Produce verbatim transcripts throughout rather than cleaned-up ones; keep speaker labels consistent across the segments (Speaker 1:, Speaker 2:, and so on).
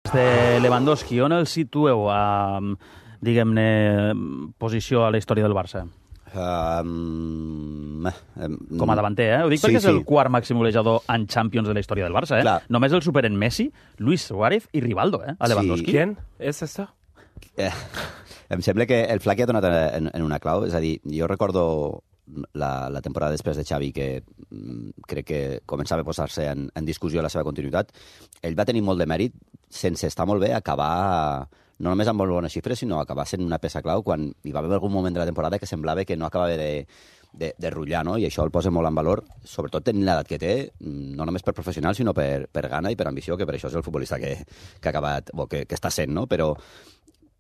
Speaker 1: De Lewandowski, on el situeu a, diguem-ne, posició a la història del Barça?
Speaker 2: Um, um,
Speaker 1: Com a davanter, eh? Ho dic perquè
Speaker 2: sí,
Speaker 1: és el
Speaker 2: sí.
Speaker 1: quart màxim golejador en Champions de la història del Barça, eh?
Speaker 2: Clar.
Speaker 1: Només el superen Messi, Luis Suárez i Rivaldo, eh? A Lewandowski.
Speaker 2: Sí.
Speaker 3: ¿Quién es esto?
Speaker 2: Eh, em sembla que el Flac ha donat en, en una clau. És a dir, jo recordo la, la temporada després de Xavi, que mm, crec que començava a posar-se en, en discussió la seva continuïtat. Ell va tenir molt de mèrit, sense estar molt bé, acabar no només amb molt bones xifres, sinó acabar sent una peça clau quan hi va haver algun moment de la temporada que semblava que no acabava de, de, de rutllar, no? I això el posa molt en valor, sobretot tenint l'edat que té, no només per professional, sinó per, per gana i per ambició, que per això és el futbolista que, que ha acabat, o que, que està sent, no? Però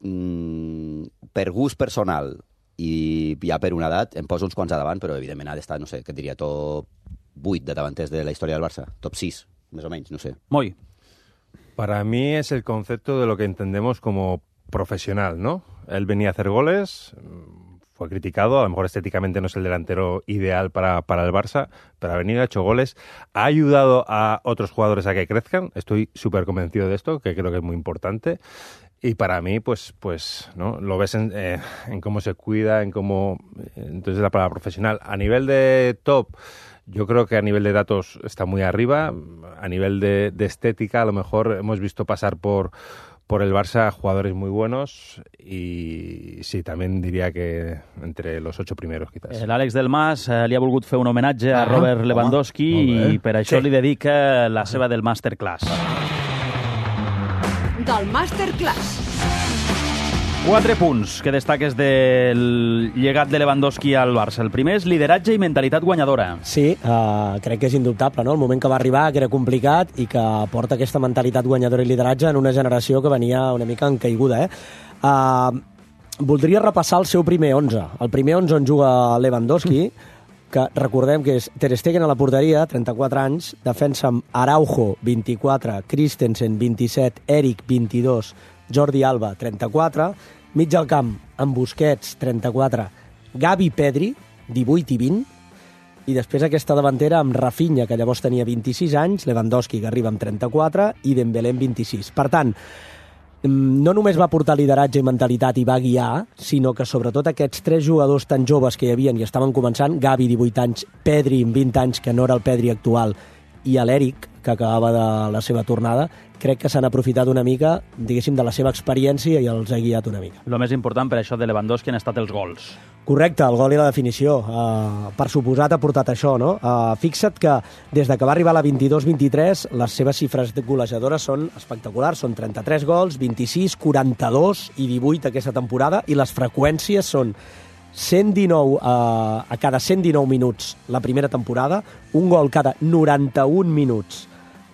Speaker 2: mm, per gust personal i ja per una edat, em poso uns quants a davant, però evidentment ha d'estar, no sé, què et diria, top vuit de davanters de la història del Barça, top sis, més o menys, no sé.
Speaker 1: Moi.
Speaker 3: Para mí es el concepto de lo que entendemos como profesional, ¿no? Él venía a hacer goles, fue criticado, a lo mejor estéticamente no es el delantero ideal para, para el Barça, pero ha venido, ha hecho goles, ha ayudado a otros jugadores a que crezcan, estoy súper convencido de esto, que creo que es muy importante. Y para mí, pues, pues, ¿no? Lo ves en, eh, en cómo se cuida, en cómo... Entonces, la palabra profesional. A nivel de top, yo creo que a nivel de datos está muy arriba. A nivel de, de estética, a lo mejor hemos visto pasar por, por el Barça jugadores muy buenos. Y sí, también diría que entre los ocho primeros, quizás.
Speaker 1: L'Àlex Del Mas eh, li ha volgut fer un homenatge a Robert Lewandowski
Speaker 3: home,
Speaker 1: i per això
Speaker 3: sí.
Speaker 1: li dedica la seva del Masterclass.
Speaker 4: Del Masterclass.
Speaker 1: Quatre punts que destaques del llegat de Lewandowski al Barça. El primer és lideratge i mentalitat guanyadora.
Speaker 5: Sí, uh, crec que és indubtable, no? El moment que va arribar, que era complicat i que porta aquesta mentalitat guanyadora i lideratge en una generació que venia una mica en caiguda, eh? Uh, voldria repassar el seu primer onze. El primer onze on juga Lewandowski, que recordem que és Ter Stegen a la porteria, trenta-quatre anys, defensa amb Araujo, vint-i-quatre, Christensen, vint-i-set, Eric, vint-i-dos, Jordi Alba, trenta-quatre, mig al camp amb Busquets, trenta-quatre, Gavi, Pedri, divuit i vint, i després aquesta davantera amb Rafinha, que llavors tenia vint-i-sis anys, Lewandowski, que arriba amb trenta-quatre, i Dembélé amb vint-i-sis. Per tant, no només va portar lideratge i mentalitat i va guiar, sinó que sobretot aquests tres jugadors tan joves que hi havia i estaven començant, Gavi, divuit anys, Pedri, amb vint anys, que no era el Pedri actual, i l'Eric, que acabava de la seva tornada, crec que s'han aprofitat una mica, diguéssim, de la seva experiència i els ha guiat una mica.
Speaker 1: El més important per això de Lewandowski han estat els gols.
Speaker 5: Correcte, el gol i la definició. Uh, per suposat ha portat això, no? Uh, fixa't que des de que va arribar a la vint-i-dos vint-i-tres les seves xifres golejadores són espectaculars. Són trenta-tres gols, vint-i-sis, quaranta-dos i divuit aquesta temporada, i les freqüències són cent dinou uh, a cada cent dinou minuts la primera temporada, un gol cada noranta-un minuts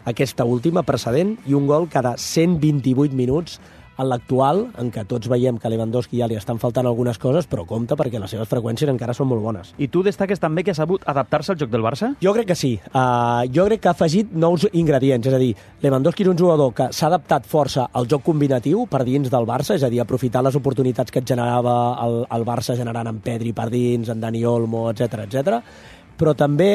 Speaker 5: aquesta última precedent i un gol cada cent vint-i-vuit minuts en l'actual, en què tots veiem que a Lewandowski ja li estan faltant algunes coses, però compte perquè les seves freqüències encara són molt bones.
Speaker 1: I tu destaques també que ha sabut adaptar-se al joc del Barça?
Speaker 5: Jo crec que sí. Uh, jo crec que ha afegit nous ingredients, és a dir, Lewandowski és un jugador que s'ha adaptat força al joc combinatiu per dins del Barça, és a dir, aprofitar les oportunitats que et generava el, el Barça generant en Pedri per dins, en Dani Olmo, etcètera, etcètera, però també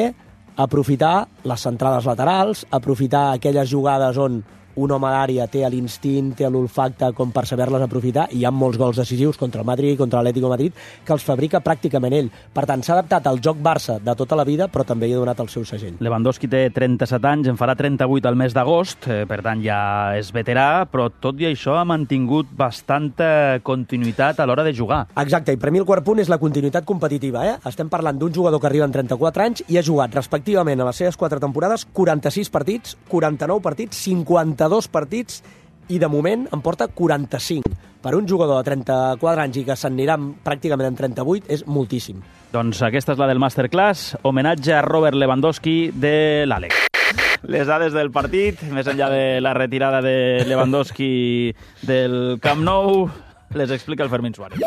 Speaker 5: aprofitar les centrades laterals, aprofitar aquelles jugades on un home d'àrea té l'instint, té l'olfacte com per saber-les aprofitar, i hi ha molts gols decisius contra el Madrid, contra l'Atlético de Madrid, que els fabrica pràcticament ell. Per tant, s'ha adaptat al joc Barça de tota la vida, però també hi ha donat el seu segell.
Speaker 1: Lewandowski té trenta-set anys, en farà trenta-vuit al mes d'agost, eh, per tant ja és veterà, però tot i això ha mantingut bastanta continuïtat a l'hora de jugar.
Speaker 5: Exacte, i per mi el quart punt és la continuïtat competitiva. Eh? Estem parlant d'un jugador que arriba amb trenta-quatre anys i ha jugat respectivament a les seves quatre temporades quaranta-sis partits, quaranta-nou partits, cinquanta-dos partits, i de moment en porta quaranta-cinc. Per un jugador de trenta-quatre anys i que s'anirà pràcticament en trenta-vuit és moltíssim.
Speaker 1: Doncs aquesta és la del Masterclass, homenatge a Robert Lewandowski de l'Àlex. Les dades del partit, més enllà de la retirada de Lewandowski del Camp Nou, les explica el Fermín Suárez.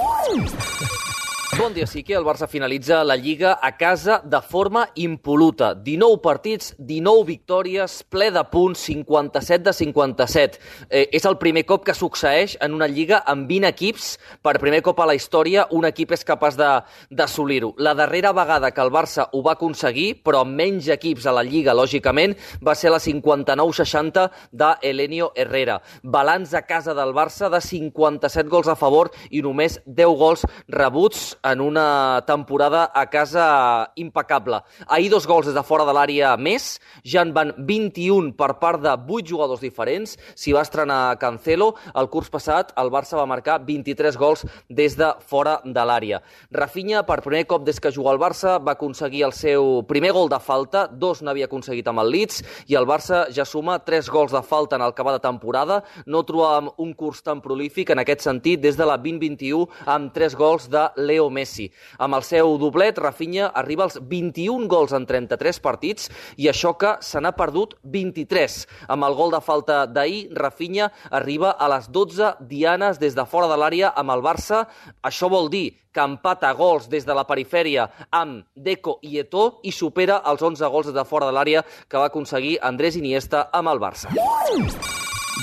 Speaker 4: Bon dia, sí que el Barça finalitza la Lliga a casa de forma impol·luta. dinou partits, dinou victòries, ple de punts, cinquanta-set de cinquanta-set. Eh, és el primer cop que succeeix en una Lliga amb vint equips. Per primer cop a la història, un equip és capaç d'assolir-ho. La darrera vegada que el Barça ho va aconseguir, però amb menys equips a la Lliga, lògicament, va ser la cinquanta-nou seixanta de Elenio Herrera. Balanç a casa del Barça de cinquanta-set gols a favor i només deu gols rebuts en una temporada a casa impecable. Ahir dos gols des de fora de l'àrea més, ja en van vint-i-un per part de vuit jugadors diferents. S'hi va estrenar Cancelo. El curs passat el Barça va marcar vint-i-tres gols des de fora de l'àrea. Rafinha, per primer cop des que juga al Barça, va aconseguir el seu primer gol de falta, dos n'havia aconseguit amb el Leeds, i el Barça ja suma tres gols de falta en el que va de temporada. No trobàvem un curs tan prolífic en aquest sentit des de la vint vint-i-u amb tres gols de Leo Messi. Amb el seu doblet, Rafinha arriba als vint-i-un gols en trenta-tres partits i això que se n'ha perdut vint-i-tres. Amb el gol de falta d'ahir, Rafinha arriba a les dotze dianes des de fora de l'àrea amb el Barça. Això vol dir que empata gols des de la perifèria amb Deco i Eto'o i supera els onze gols des de fora de l'àrea que va aconseguir Andrés Iniesta amb el Barça.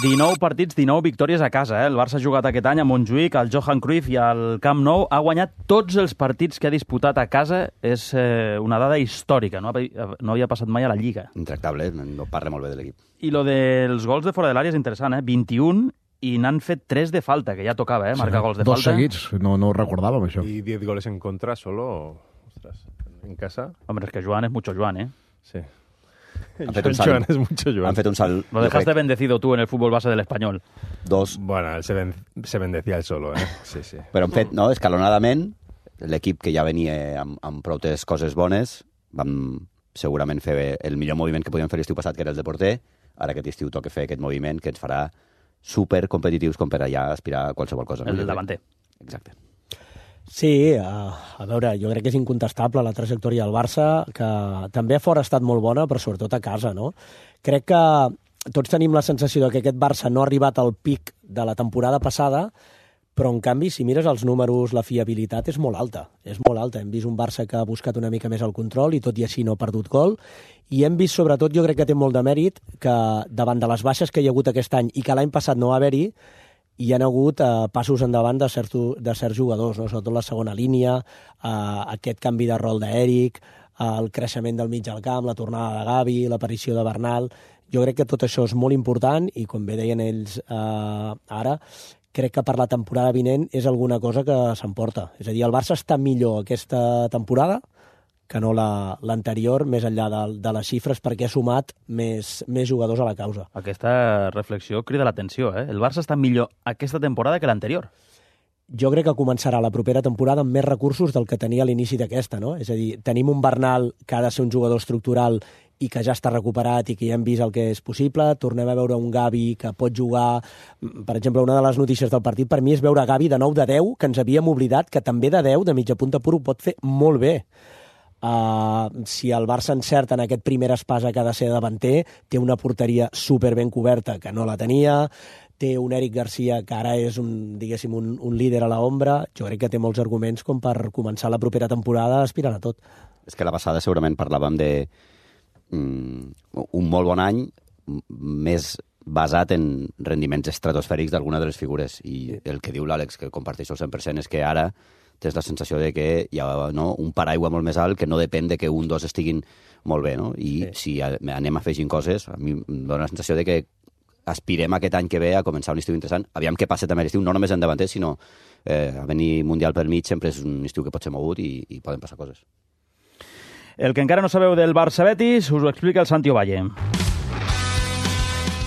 Speaker 1: dinou partits, dinou victòries a casa. Eh? El Barça ha jugat aquest any a Montjuïc, al Johan Cruyff i al Camp Nou. Ha guanyat tots els partits que ha disputat a casa. És eh, una dada històrica. No? No havia passat mai a la Lliga.
Speaker 2: Intractable, no parla molt bé de l'equip.
Speaker 1: I lo dels gols de fora de l'àrea és interessant. Eh? vint-i-un i n'han fet tres de falta, que ja tocava, eh? marcar sí, gols de
Speaker 6: dos
Speaker 1: falta.
Speaker 6: Dos seguits, no, no ho recordàvem, això.
Speaker 3: I diez goles en contra solo, ostras, en casa.
Speaker 1: Hombre, es que Joan és mucho Joan, eh?
Speaker 3: Sí.
Speaker 2: Han fet un salt.
Speaker 3: Joan és mucho Joan.
Speaker 2: Han fet un salt.
Speaker 1: Lo dejaste bendecido tú en el fútbol base del Espanyol.
Speaker 2: Dos.
Speaker 3: Bueno, él se, ben, se bendecía él solo, eh? Sí, sí.
Speaker 2: Però han fet, no, escalonadament, l'equip que ja venia amb, amb prou coses bones, vam segurament fer el millor moviment que podíem fer l'estiu passat, que era el de porter. Ara aquest estiu toca fer aquest moviment que ens farà super competitius com per allà aspirar a qualsevol cosa.
Speaker 1: El del davanter.
Speaker 2: Exacte.
Speaker 5: Sí, a, a veure, jo crec que és incontestable la trajectòria del Barça, que també a fora ha estat molt bona, però sobretot a casa, no? Crec que tots tenim la sensació de que aquest Barça no ha arribat al pic de la temporada passada, però en canvi, si mires els números, la fiabilitat és molt alta. És molt alta. Hem vist un Barça que ha buscat una mica més el control i tot i així no ha perdut gol. I hem vist, sobretot, jo crec que té molt de mèrit, que davant de les baixes que hi ha hagut aquest any i que l'any passat no va haver-hi, hi ha hagut eh, passos endavant de certs, de certs jugadors, no? Sobretot la segona línia, eh, aquest canvi de rol d'Eric, eh, el creixement del mig al camp, la tornada de Gavi, l'aparició de Bernal. Jo crec que tot això és molt important i, com bé deien ells eh, ara, crec que per la temporada vinent és alguna cosa que s'emporta. És a dir, el Barça està millor aquesta temporada que no l'anterior, la, més enllà de, de les xifres, perquè ha sumat més, més jugadors a la causa.
Speaker 1: Aquesta reflexió crida l'atenció, eh? El Barça està millor aquesta temporada que l'anterior.
Speaker 5: Jo crec que començarà la propera temporada amb més recursos del que tenia a l'inici d'aquesta, no? És a dir, tenim un Bernal que ha de ser un jugador estructural i que ja està recuperat i que ja hem vist el que és possible. Tornem a veure un Gavi que pot jugar... Per exemple, una de les notícies del partit per mi és veure Gavi de nou de deu, que ens havíem oblidat, que també de deu, de mitja punta pur, ho pot fer molt bé. Uh, si el Barça encerta en aquest primer espasa que ha de ser davanter, té una porteria super ben coberta que no la tenia, té un Eric Garcia que ara és un, diguéssim, un, un líder a l'ombra. Jo crec que té molts arguments com per començar la propera temporada aspirant a tot.
Speaker 2: És que la passada segurament parlàvem de mm, un molt bon any més basat en rendiments estratosfèrics d'alguna de les figures, i el que diu l'Àlex, que comparteixo al cent per cent, és que ara tens la sensació de que hi ha, no, un paraigua molt més alt que no depèn de que un dos estiguin molt bé, no? I sí. Si anem afegint coses, a mi em dóna la sensació de que aspirem aquest any que ve a començar un estiu interessant. Aviam què passa també l'estiu, no només en davanter, sinó eh, a venir Mundial pel mig sempre és un estiu que pot ser mogut i, i poden passar coses.
Speaker 1: El que encara no sabeu del Barça-Betis us ho explica el Santi Ovalle.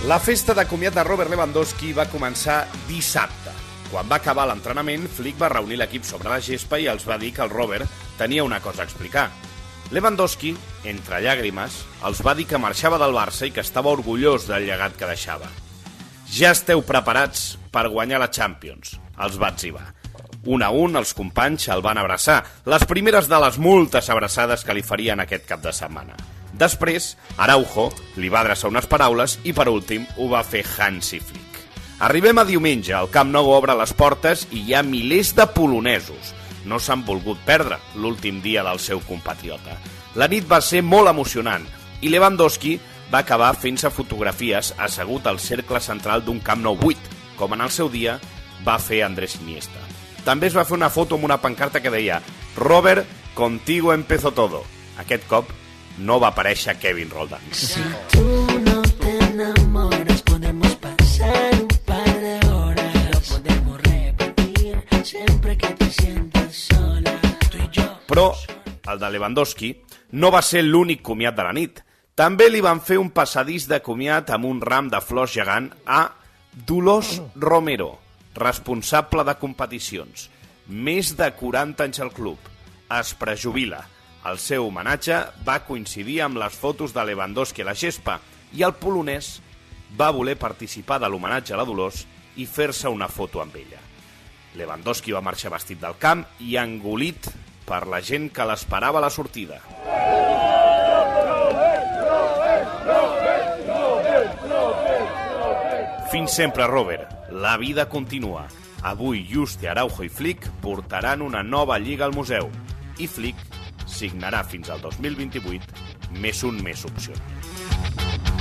Speaker 7: La festa de comiat de Robert Lewandowski va començar dissabte. Quan va acabar l'entrenament, Flick va reunir l'equip sobre la gespa i els va dir que el Robert tenia una cosa a explicar. Lewandowski, entre llàgrimes, els va dir que marxava del Barça i que estava orgullós del llegat que deixava. Ja esteu preparats per guanyar la Champions, els va etzibar. Un a un, els companys el van abraçar, les primeres de les moltes abraçades que li farien aquest cap de setmana. Després, Araujo li va adreçar unes paraules i, per últim, ho va fer Hansi Flick. Arribem a diumenge, el Camp Nou obre les portes i hi ha milers de polonesos. no s'han volgut perdre l'últim dia del seu compatriota. La nit va ser molt emocionant i Lewandowski va acabar fent-se fotografies assegut al cercle central d'un Camp Nou buit, com en el seu dia va fer Andrés Iniesta. També es va fer una foto amb una pancarta que deia «Robert, contigo empezó todo». Aquest cop no va aparèixer Kevin Roldán.
Speaker 8: Si tú no te enamoras, podemos pasar un par de horas. Lo podemos repetir siempre que te sientas sola. Tú y yo.
Speaker 7: Però el de Lewandowski no va ser l'únic comiat de la nit. També li van fer un passadís de comiat amb un ram de flors gegant a Dolors Romero, responsable de competicions. Més de quaranta anys al club. Es prejubila. El seu homenatge va coincidir amb les fotos de Lewandowski a la gespa i el polonès va voler participar de l'homenatge a la Dolors i fer-se una foto amb ella. Lewandowski va marxar vestit del camp i engolit per la gent que l'esperava a la sortida. Fins sempre, Robert. La vida continua. Avui Juste, Araujo i Flick portaran una nova lliga al museu i Flick signarà fins al dos mil vint-i-vuit més un més opcional.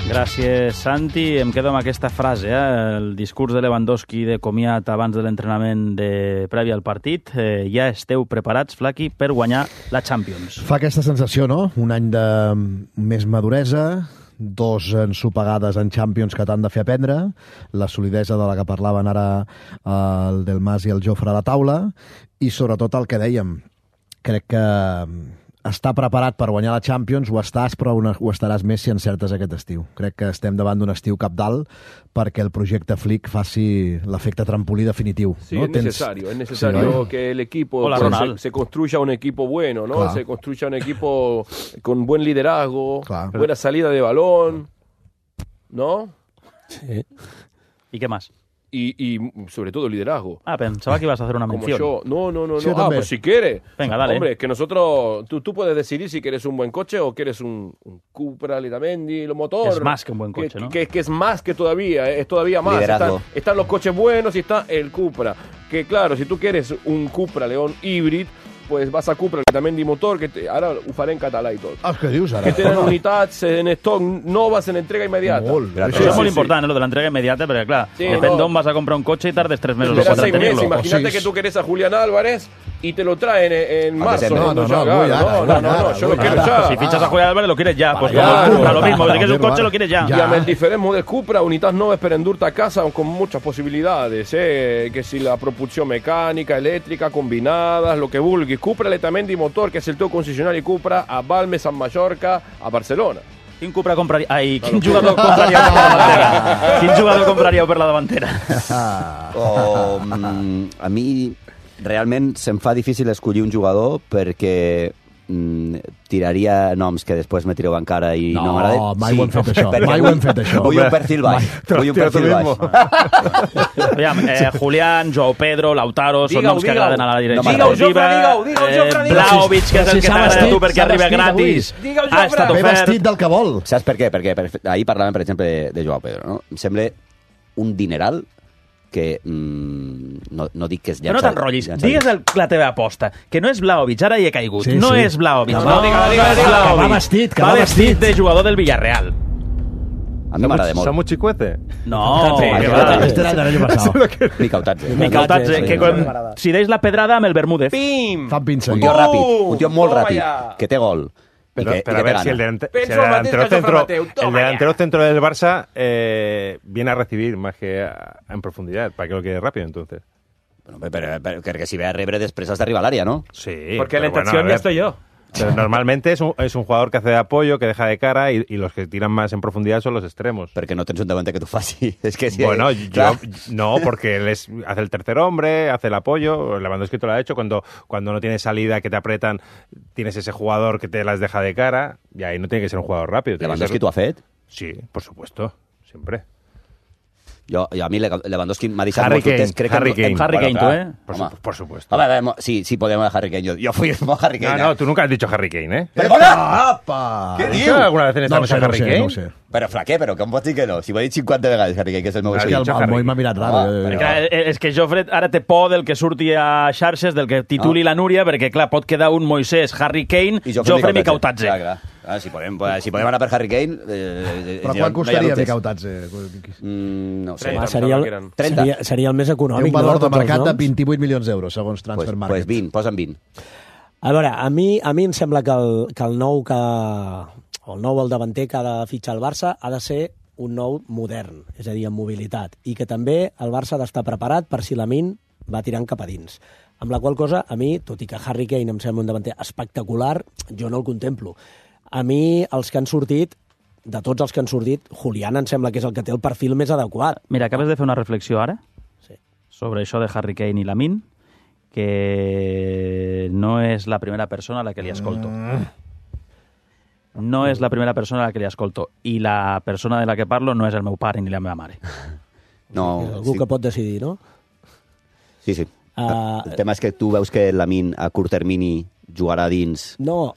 Speaker 1: Gràcies, Santi. Em quedo amb aquesta frase, eh? El discurs de Lewandowski de comiat abans de l'entrenament de previ al partit. Eh, ja esteu preparats, Flaqui, per guanyar la Champions.
Speaker 6: Fa aquesta sensació, no? Un any de més maduresa, dos ensopegades en Champions que t'han de fer aprendre, la solidesa de la que parlaven ara el Del Mas i el Jofre a la taula, i sobretot el que dèiem, crec que estar preparat per guanyar la Champions ho estàs, però ho estaràs més si encertes aquest estiu. Crec que estem davant d'un estiu cabdal perquè el projecte Flick faci l'efecte trampolí definitiu.
Speaker 9: Sí,
Speaker 6: ¿no?
Speaker 9: es
Speaker 6: Tens...
Speaker 9: necesario, es necesario sí, que el equipo
Speaker 1: Hola,
Speaker 9: se, se construya un equipo bueno, ¿no?
Speaker 6: Claro.
Speaker 9: Se construya un equipo con buen liderazgo,
Speaker 6: Claro.
Speaker 9: buena salida de balón, ¿no?
Speaker 5: Sí.
Speaker 1: ¿Y qué más?
Speaker 9: Y, y sobre todo liderazgo.
Speaker 1: Ah, pensaba que ibas a hacer una
Speaker 9: Como
Speaker 1: mención.
Speaker 9: yo. No, no, no,
Speaker 6: Sí, yo
Speaker 9: no. Ah,
Speaker 6: también.
Speaker 9: pues si quieres.
Speaker 1: Venga, dale.
Speaker 9: Hombre, es que nosotros, tú, tú puedes decidir si quieres un buen coche o quieres un, un Cupra, Letamendi, lo motor.
Speaker 1: Es más que un buen coche,
Speaker 9: que,
Speaker 1: ¿no?
Speaker 9: Que, que es más que todavía, es todavía más.
Speaker 2: Liderazgo.
Speaker 9: Están, están los coches buenos y está el Cupra. Que claro, si tú quieres un Cupra León híbrido, pues vas a Cupra, Letamendi motor, que te, ara ho faré en català i tot.
Speaker 6: Ah, què dius ara?
Speaker 9: Que tenen unitats en stock noves en entrega immediata.
Speaker 6: Molt.
Speaker 1: Això
Speaker 9: Sí,
Speaker 1: és
Speaker 9: sí,
Speaker 1: molt
Speaker 9: sí.
Speaker 1: important, eh, lo de l'entrega immediata, perquè, clar,
Speaker 9: Sí,
Speaker 1: depèn
Speaker 9: no.
Speaker 1: d'on vas a comprar un cotxe i tardes tres mesos o
Speaker 9: Espera
Speaker 1: quatre en
Speaker 9: seis meses,
Speaker 1: tenir-lo.
Speaker 9: imagínate
Speaker 6: O
Speaker 9: que
Speaker 6: seis.
Speaker 9: tú querés a Julián Álvarez y te lo traen en, en
Speaker 2: A
Speaker 9: marzo.
Speaker 2: diciembre.
Speaker 6: No, no,
Speaker 9: ya,
Speaker 6: no,
Speaker 9: claro,
Speaker 6: muy ara,
Speaker 9: no, no,
Speaker 6: muy
Speaker 9: no,
Speaker 6: ara,
Speaker 9: no, yo lo
Speaker 6: muy
Speaker 9: quiero
Speaker 6: ara.
Speaker 9: ya.
Speaker 1: Si fichas a Julián Álvarez, lo quieres ya. Pues
Speaker 9: Claro.
Speaker 1: como compra lo mismo. Si quieres un
Speaker 6: Claro.
Speaker 1: coche, lo quieres ya.
Speaker 9: Y amb el diferent model Cupra, unitats noves per endur-te a casa con muchas posibilidades, eh? Que si la propulsión mecánica, eléctrica, combinadas, lo que vulguis. Cupra Letamendi motor, que és el teu concessionari Cupra a Balmes, a Mallorca, a Barcelona.
Speaker 1: Quin Cupra compraria... Ai, quin jugador compraríeu per la davantera? Quin jugador compraríeu per la davantera?
Speaker 2: O, mm, a mi realment se'm fa difícil escollir un jugador perquè mm, tiraria noms que després me tireu encara i no,
Speaker 6: No,
Speaker 2: m'agrada.
Speaker 6: mai ho hem fet, això.
Speaker 2: perquè
Speaker 6: Mai ho hem fet, això.
Speaker 2: Vull un perfil baix. Vull un perfil baix.
Speaker 1: Aviam, eh, Julián, Joao Pedro, Lautaro, són
Speaker 9: Digue-ho,
Speaker 1: noms que
Speaker 9: digue-ho.
Speaker 1: agraden a la direcció.
Speaker 2: No m'agrada.
Speaker 9: Digue-ho, Jofre, digue-ho, digue-ho, Jofre, digue-ho.
Speaker 1: Vlahovic, que és el
Speaker 5: Si
Speaker 1: que
Speaker 5: s'ha
Speaker 1: t'agrada a tu
Speaker 5: vestit,
Speaker 1: perquè
Speaker 5: s'ha
Speaker 1: arriba
Speaker 5: vestit
Speaker 1: gratis.
Speaker 9: avui. Digue-ho,
Speaker 1: Ha estat
Speaker 9: Jofre.
Speaker 6: Ve
Speaker 1: ofert.
Speaker 6: vestit del que vol.
Speaker 2: Saps per què? Perquè per, ahir parlàvem, per exemple, de, de Joao Pedro. No? Em sembla un dineral que mm, no, no dic que és
Speaker 1: Però no
Speaker 2: llançar-
Speaker 1: t'enrotllis.
Speaker 2: llançar-
Speaker 1: Digues el, la teva aposta, que no és Vlahovic, ara hi he caigut.
Speaker 6: Sí,
Speaker 1: no
Speaker 6: sí.
Speaker 1: és Vlahovic.
Speaker 9: No,
Speaker 1: No,
Speaker 9: no, digue-ho,
Speaker 1: no
Speaker 9: digue-ho,
Speaker 1: és
Speaker 9: digue-ho.
Speaker 1: Vlahovic.
Speaker 6: Que va vestit, que
Speaker 1: va
Speaker 6: va
Speaker 1: vestit
Speaker 6: vestit.
Speaker 1: de jugador del Villarreal.
Speaker 2: A mi m'agrada molt.
Speaker 3: Samu Chicuete.
Speaker 1: No,
Speaker 2: Sí,
Speaker 1: que
Speaker 2: sí,
Speaker 1: va.
Speaker 2: sí.
Speaker 6: Este era del año pasado.
Speaker 2: Mica Otatze.
Speaker 1: Mica Otatze,
Speaker 2: Sí,
Speaker 1: que
Speaker 2: sí.
Speaker 1: quan, si deis la pedrada amb el Bermúdez.
Speaker 9: Pim!
Speaker 6: Fan pinça.
Speaker 2: Un tio
Speaker 9: Oh!
Speaker 2: ràpid, un tio molt
Speaker 9: Toma
Speaker 2: ràpid,
Speaker 9: ya.
Speaker 2: que té gol.
Speaker 3: Pero,
Speaker 2: y que,
Speaker 3: pero
Speaker 2: y
Speaker 3: a
Speaker 2: que te
Speaker 3: ver si el,
Speaker 2: gana.
Speaker 3: delante- si
Speaker 9: Penso
Speaker 3: el
Speaker 9: Mateo,
Speaker 3: delantero
Speaker 9: Jofre
Speaker 3: centro,
Speaker 9: Mateu, toma
Speaker 3: el
Speaker 9: ya.
Speaker 3: delantero centro del Barça eh, viene a recibir más que a- en profundidad. ¿Para que lo quede rápido entonces?
Speaker 2: Bueno, però, però, però, perquè si ve a rebre després has d'arribar a l'àrea, no?
Speaker 3: Sí.
Speaker 10: Porque la
Speaker 3: pero bueno,
Speaker 10: intención
Speaker 3: a
Speaker 10: ya
Speaker 3: ver,
Speaker 10: estoy yo.
Speaker 3: pero normalmente es un, es un jugador que hace de apoyo, que deja de cara y, y los que tiran más en profundidad son los extremos.
Speaker 2: Perquè no tens un davanter que t'ho faci. És que si,
Speaker 3: Bueno,
Speaker 2: clar,
Speaker 3: yo no, porque él es- hace el tercer hombre, hace el apoyo. Lewandowski te lo ha hecho cuando, cuando no tienes salida, que te apretan, tienes ese jugador que te las deja de cara y ahí no tiene que ser un jugador rápido. tiene que
Speaker 2: Lewandowski
Speaker 3: ser-
Speaker 2: t'ho ha fet?
Speaker 3: Sí, por supuesto, siempre.
Speaker 2: Jo, jo a mi Lewandowski m'ha deixat
Speaker 3: Harry
Speaker 2: molt dubtes.
Speaker 3: Kane,
Speaker 2: Crec que
Speaker 3: Harry
Speaker 2: en-
Speaker 3: Kane.
Speaker 2: en-
Speaker 1: Harry Kane,
Speaker 2: clar,
Speaker 1: tú, ¿eh?
Speaker 3: Por,
Speaker 2: home.
Speaker 3: su- por supuesto.
Speaker 2: A ver, a ver, sí, sí podemos a Harry Kane. Yo, yo fui a Harry
Speaker 3: No,
Speaker 2: Kane.
Speaker 3: no,
Speaker 2: ¿eh?
Speaker 3: tú nunca has dicho Harry Kane, ¿eh?
Speaker 2: Perdona!
Speaker 6: Apa!
Speaker 2: Què
Speaker 3: ¿Has
Speaker 2: diu?
Speaker 3: dicho alguna vez en esta
Speaker 6: No ho
Speaker 3: mesa
Speaker 6: sé, no ho
Speaker 3: Harry
Speaker 6: sé,
Speaker 3: Kane?
Speaker 6: no ho sé.
Speaker 2: Però, Flaquer, però com pots dir que no? Si ho he dit cinquanta vegades, Harry Kane, que és el meu
Speaker 3: Has
Speaker 6: És que
Speaker 2: equip.
Speaker 6: el,
Speaker 3: dicho
Speaker 6: el Moi
Speaker 3: Harry.
Speaker 6: m'ha mirat raro.
Speaker 2: Home,
Speaker 6: eh,
Speaker 2: perquè-
Speaker 1: Clar, eh, és que Jofre ara té por del que surti a xarxes, del que tituli
Speaker 2: No.
Speaker 1: la Núria, perquè, clar, pot quedar un Moisés, Harry Kane,
Speaker 2: I
Speaker 1: Jofre Micautatze.
Speaker 2: Clar, clar. Ah, si, podem, si podem anar per Harry Kane... Eh,
Speaker 6: Però
Speaker 2: eh,
Speaker 6: quan
Speaker 2: no
Speaker 6: costaria
Speaker 2: hi ha dubtes.
Speaker 6: Micautatze?
Speaker 2: Mm, no ho sé.
Speaker 9: trenta.
Speaker 5: Home, seria, el,
Speaker 9: Eren.
Speaker 2: trenta.
Speaker 5: seria, seria el més
Speaker 6: Té
Speaker 5: econòmic,
Speaker 6: un valor
Speaker 5: no,
Speaker 6: de
Speaker 5: tots els
Speaker 6: mercat de
Speaker 5: noms?
Speaker 6: vint-i-vuit milions d'euros, segons
Speaker 2: Pues,
Speaker 6: Transfer
Speaker 2: pues
Speaker 6: Market.
Speaker 2: vint, posa'm vint.
Speaker 5: A veure, a mi, a mi em sembla que el, que el nou que... o el nou el davanter que ha de fitxar el Barça ha de ser un nou modern, és a dir, amb mobilitat, i que també el Barça ha d'estar preparat per si Lamine va tirant cap a dins. Amb la qual cosa, a mi, tot i que Harry Kane em sembla un davanter espectacular, jo no el contemplo. A mi, els que han sortit, de tots els que han sortit, Julián em sembla que és el que té el perfil més adequat.
Speaker 1: Mira, acabes de fer una reflexió ara
Speaker 5: Sí.
Speaker 1: sobre això de Harry Kane i Lamine, que no és la primera persona a la que li escolto. No és la primera persona a la que li escolto. I la persona de la que parlo no és el meu pare ni la meva mare.
Speaker 2: No,
Speaker 5: És algú
Speaker 2: sí,
Speaker 5: que pot decidir, no?
Speaker 2: sí, sí.
Speaker 5: Uh,
Speaker 2: El tema és que tu veus que Lamine a curt termini jugarà dins
Speaker 5: no,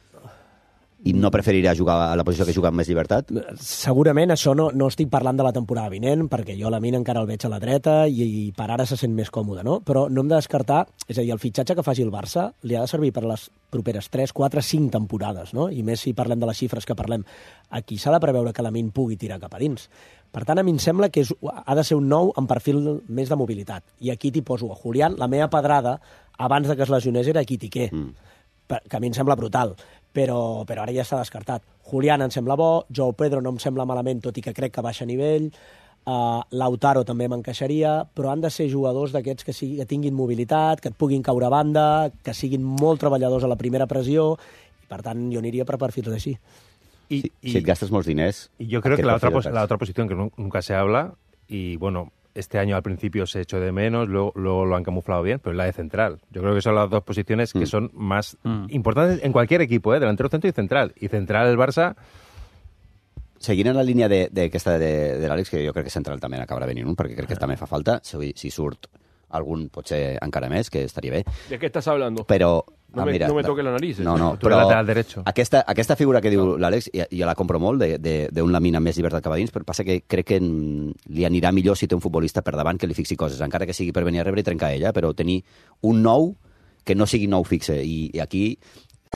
Speaker 2: i no preferirà jugar a la posició que juga amb més llibertat?
Speaker 5: segurament això no, no estic parlant de la temporada vinent, perquè jo la Lamine encara el veig a la dreta i, i per ara se sent més còmode, no? Però no hem de descartar, és a dir, el fitxatge que faci el Barça li ha de servir per les properes tres, quatre, cinc temporades, no? I més si parlem de les xifres que parlem. Aquí s'ha de preveure que la Lamine pugui tirar cap a dins. Per tant, a mi em sembla que és, ha de ser un nou amb perfil més de mobilitat. I aquí t'hi poso a Julián. La meva pedrada, abans de que es lesionés, era Quitiqué, mm. que a mi em sembla brutal. Però, però ara ja s'ha descartat. Julián em sembla bo, Joao Pedro no em sembla malament, tot i que crec que baixa a nivell, uh, Lautaro també m'encaixaria, però han de ser jugadors d'aquests que, sigui, que tinguin mobilitat, que et puguin caure a banda, que siguin molt treballadors a la primera pressió, i per tant jo aniria per perfils així.
Speaker 3: Y,
Speaker 2: Si,
Speaker 3: y-
Speaker 2: si et gastes molts diners...
Speaker 3: y yo creo
Speaker 2: ¿a qué
Speaker 3: que la otra,
Speaker 2: perfil
Speaker 3: pos-
Speaker 2: vas?
Speaker 3: la otra posición que nu- nunca se habla, y bueno, este año al principio se echó de menos, luego, luego lo han camuflado bien, pero es la de central. Yo creo que son las dos posiciones que
Speaker 2: Mm.
Speaker 3: son más
Speaker 1: Mm.
Speaker 3: importantes en cualquier equipo, ¿eh? Delantero, centro y central. Y central el Barça,
Speaker 2: Seguint en la línia d'aquesta de, de, de l'Àlex, que jo crec que central també acabarà venint un, perquè crec que també fa falta, si, si surt algun potser encara més, que estaria bé,
Speaker 9: ¿De qué estás hablando?
Speaker 2: però...
Speaker 9: No me- no me toques la nariz,
Speaker 2: No,
Speaker 9: eh.
Speaker 2: no,
Speaker 3: Tu eres
Speaker 2: però
Speaker 3: lateral derecho.
Speaker 2: aquesta, aquesta figura que diu l'Àlex, jo, jo la compro molt, de- de- d'un Lamine amb més llibertat cap a dins, però passa que crec que mm, li anirà millor si té un futbolista per davant que li fixi coses, encara que sigui per venir a rebre i trencar ella, però tenir un nou que no sigui nou fixe. I, i aquí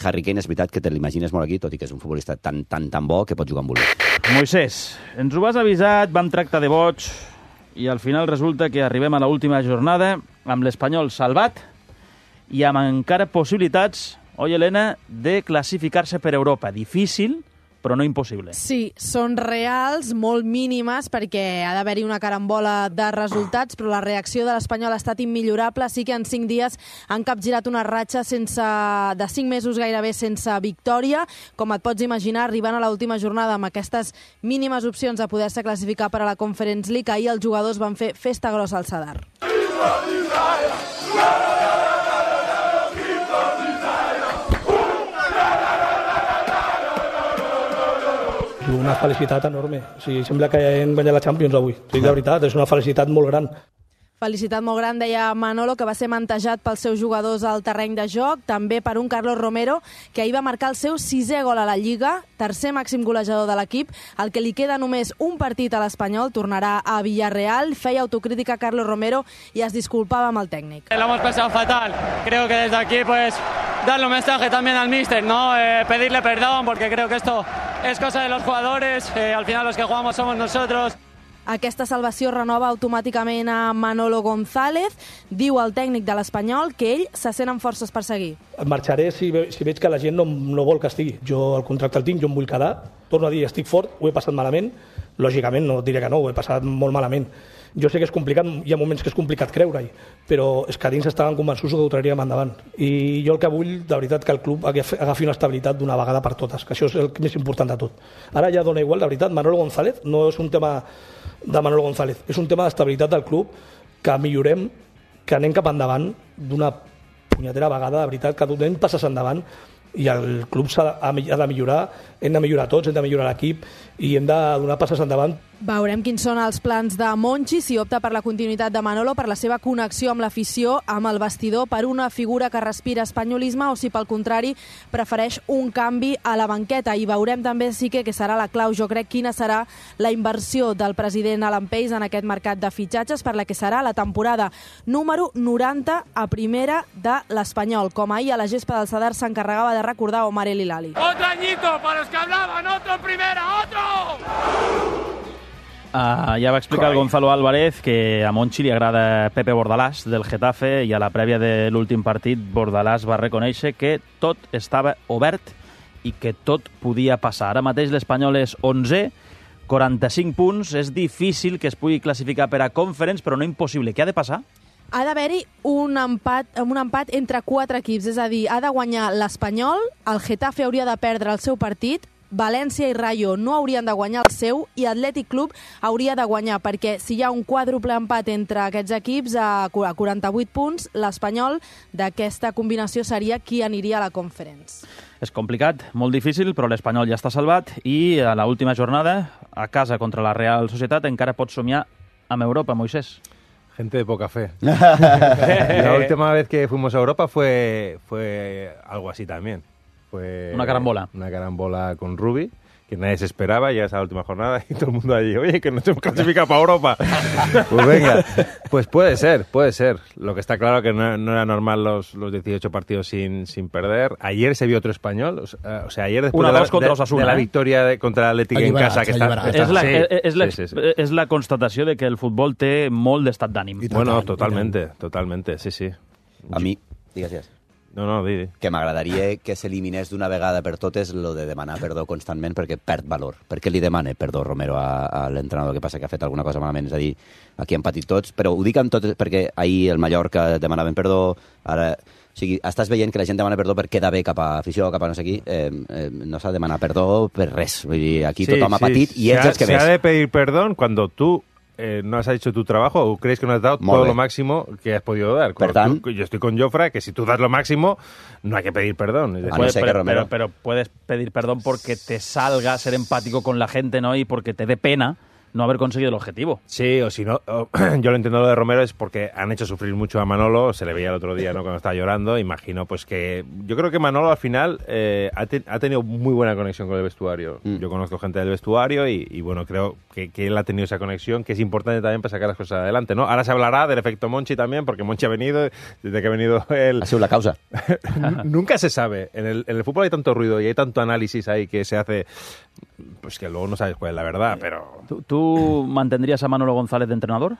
Speaker 2: Harry Kane és veritat que te l'imagines molt aquí, tot i que és un futbolista tan, tan, tan bo que pot jugar amb voler.
Speaker 1: Moisés, ens ho has avisat, vam tractar de boig, i al final resulta que arribem a l'última jornada amb l'Espanyol salvat i amb encara possibilitats, oi, Helena, de classificar-se per Europa. Difícil, però no impossible.
Speaker 10: Sí, són reals, molt mínimes, perquè ha d'haver-hi una carambola de resultats, però la reacció de l'Espanyol ha estat immillorable. Sí que en cinc dies han capgirat una ratxa sense, de cinc mesos gairebé sense victòria. Com et pots imaginar, arribant a l'última jornada amb aquestes mínimes opcions de poder-se classificar per a la Conference League, ahir els jugadors van fer festa grossa al Sadar.
Speaker 11: Una felicitat enorme. O sigui, sembla que hem guanyat la Champions avui. O sigui, de veritat, és una felicitat molt gran.
Speaker 10: Felicitat molt gran, deia Manolo, que va ser mantejat pels seus jugadors al terreny de joc, també per un Carlos Romero, que ahir va marcar el seu sisè gol a la Lliga, tercer màxim golejador de l'equip, el que li queda només un partit a l'Espanyol, tornarà a Villarreal, feia autocrítica Carlos Romero i es disculpava amb el tècnic.
Speaker 12: Lo hemos pasado fatal. Creo que desde aquí, pues, darle un mensaje también al míster, ¿no? Eh, pedirle perdón, porque creo que esto es cosa de los jugadores. Eh, al final los que jugamos somos nosotros.
Speaker 10: Aquesta salvació renova automàticament a Manolo González. Diu el tècnic de l'Espanyol que ell se sent amb forces per seguir.
Speaker 11: Marxaré si, ve, si veig que la gent no, no vol que estigui. Jo el contracte el tinc, jo em vull quedar. Torno a dir, estic fort, ho he passat malament. Lògicament, no diré que no, ho he passat molt malament. Jo sé que és complicat, hi ha moments que és complicat creure-hi, però és que dins estaven convençuts que ho traríem endavant. I jo el que vull, de veritat, que el club agafi una estabilitat d'una vegada per totes, que això és el més important de tot. Ara ja dona igual, de veritat, Manolo González no és un tema de Manolo González, és un tema d'estabilitat del club, que millorem, que anem cap endavant d'una punyetera vegada, de veritat, que donem passes endavant, i el club s'ha de, ha de millorar, hem de millorar tots, hem de millorar l'equip i hem de donar passes endavant
Speaker 10: Veurem quins són els plans de Monchi, si opta per la continuïtat de Manolo, per la seva connexió amb l'afició, amb el vestidor, per una figura que respira espanyolisme, o si pel contrari prefereix un canvi a la banqueta. I veurem també, sí que, que serà la clau, jo crec, quina serà la inversió del president Alan Pace en aquest mercat de fitxatges per la que serà la temporada número noranta a primera de l'Espanyol, com ahir a la gespa del Sadar s'encarregava de recordar Omar El Hilali.
Speaker 13: Otro añito para los que hablaban, otro en primera, otro!
Speaker 1: Uh, ja va explicar el Gonzalo Álvarez que a Monchi li agrada Pepe Bordalás del Getafe i a la prèvia de l'últim partit Bordalás va reconèixer que tot estava obert i que tot podia passar. Ara mateix l'Espanyol és onzè, quaranta-cinc punts, és difícil que es pugui classificar per a Conference, però no impossible. Què ha de passar?
Speaker 10: Ha d'haver-hi un empat, un empat entre quatre equips, és a dir, ha de guanyar l'Espanyol, el Getafe hauria de perdre el seu partit, València i Rayo no haurien de guanyar el seu i Atlètic Club hauria de guanyar, perquè si hi ha un quàdruple empat entre aquests equips a quaranta-vuit punts, l'Espanyol d'aquesta combinació seria qui aniria a la Conference.
Speaker 1: És complicat, molt difícil, però l'Espanyol ja està salvat i a l'última jornada, a casa contra la Real Societat, encara pot somiar amb Europa, Moisés.
Speaker 3: Gente de poca fe. La última vez que fuimos a Europa fue, fue algo así también. Fue
Speaker 1: una carambola.
Speaker 3: Una carambola con Rubi, que nadie se esperaba, ya esa la última jornada, y todo el mundo allí, oye, que nos hemos clasificado para Europa. Pues venga, pues puede ser, puede ser. Lo que está claro que no, no era normal los, los dieciocho partidos sin, sin perder. Ayer se vio otro español, o sea, o sea ayer después
Speaker 1: una
Speaker 3: de la,
Speaker 1: contra
Speaker 3: de,
Speaker 1: Osasuna,
Speaker 3: de la
Speaker 1: eh?
Speaker 3: victoria de, contra l'Atlètic en casa, que está, está...
Speaker 1: És la,
Speaker 3: sí,
Speaker 1: és, la,
Speaker 3: sí, sí, sí.
Speaker 1: és la constatació de que el futbol té molt d'estat d'ànim.
Speaker 3: Bueno, totalmente, totalmente, sí, sí.
Speaker 2: A mi, digues, digues.
Speaker 3: No, no, di, di.
Speaker 2: Que m'agradaria que s'eliminés d'una vegada per totes lo de demanar perdó constantment perquè perd valor. Per què li demana perdó Romero a, a l'entrenador que passa que ha fet alguna cosa malament? És a dir, aquí han patit tots, però ho dic amb tot perquè ahir el Mallorca demanaven perdó, ara... O sigui, estàs veient que la gent demana perdó per quedar bé cap a afició, cap a no sé qui. Eh, eh, no s'ha de demanar perdó per res. Vull dir, aquí sí, tothom ha patit sí, i ells els que
Speaker 3: ves.
Speaker 2: ves.
Speaker 3: Se ha de pedir perdón cuando tú Eh, no has hecho tu trabajo o crees que no has dado
Speaker 2: Molt
Speaker 3: todo
Speaker 2: bé.
Speaker 3: lo máximo que has podido dar.
Speaker 2: Per tant,
Speaker 3: tú, yo estoy con Jofre, que si tú das lo máximo, no hay que pedir perdón. Es decir,
Speaker 1: Puede, pero, pero, pero puedes pedir perdón porque te salga ser empático con la gente, ¿no? Y porque te dé pena no haber conseguido el objetivo.
Speaker 3: Sí, o si no, o, yo lo entiendo lo de Romero, es porque han hecho sufrir mucho a Manolo, se le veía el otro día, ¿no?, cuando estaba llorando, imagino pues que... Yo creo que Manolo al final eh, ha, te, ha tenido muy buena conexión con el vestuario. Mm. Yo conozco gente del vestuario y, y bueno, creo que, que él ha tenido esa conexión, que es importante también para sacar las cosas adelante, ¿no? Ahora se hablará del efecto Monchi también, porque Monchi ha venido, desde que ha venido él...
Speaker 2: Ha sido la causa.
Speaker 3: Nunca se sabe. En el, en el fútbol hay tanto ruido y hay tanto análisis ahí que se hace... Pues que luego no sabes cuál es la verdad, pero...
Speaker 1: ¿Tú, tú mantendrías a Manolo González de entrenador?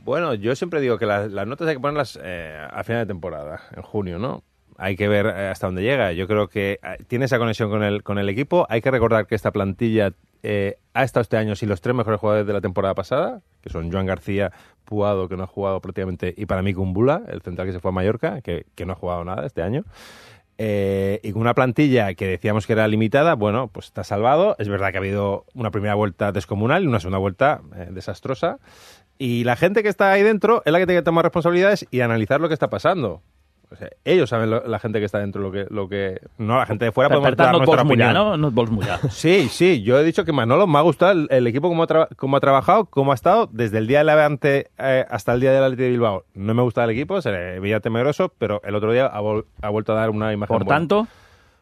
Speaker 3: Bueno, yo siempre digo que las, las notas hay que ponerlas eh, a final de temporada, en junio, ¿no? Hay que ver hasta dónde llega. Yo creo que tiene esa conexión con el, con el equipo. Hay que recordar que esta plantilla eh, ha estado este año sin los tres mejores jugadores de la temporada pasada, que son Joan García, Puado, que no ha jugado prácticamente, y para mí Kumbula, el central que se fue a Mallorca, que, que no ha jugado nada este año. Eh, y con una plantilla que decíamos que era limitada, bueno, pues está salvado. Es verdad que ha habido una primera vuelta descomunal y una segunda vuelta eh, desastrosa. Y la gente que está ahí dentro es la que tiene que tomar responsabilidades y analizar lo que está pasando. O sea, ellos saben lo, la gente que está dentro lo que... Lo que no, la gente de fuera podemos dar
Speaker 1: no
Speaker 3: nuestra opinión.
Speaker 1: Mullar, ¿no? No et vols mullar.
Speaker 3: Sí, sí, yo he dicho que Manolo me ha gustado el, el equipo como ha, tra como ha trabajado, cómo ha estado desde el día del Levante eh, hasta el día del Athletic de Bilbao. No me gustaba el equipo, se le veía temeroso, pero el otro día ha, vol ha vuelto a dar una imagen
Speaker 1: Por
Speaker 3: buena.
Speaker 1: tanto...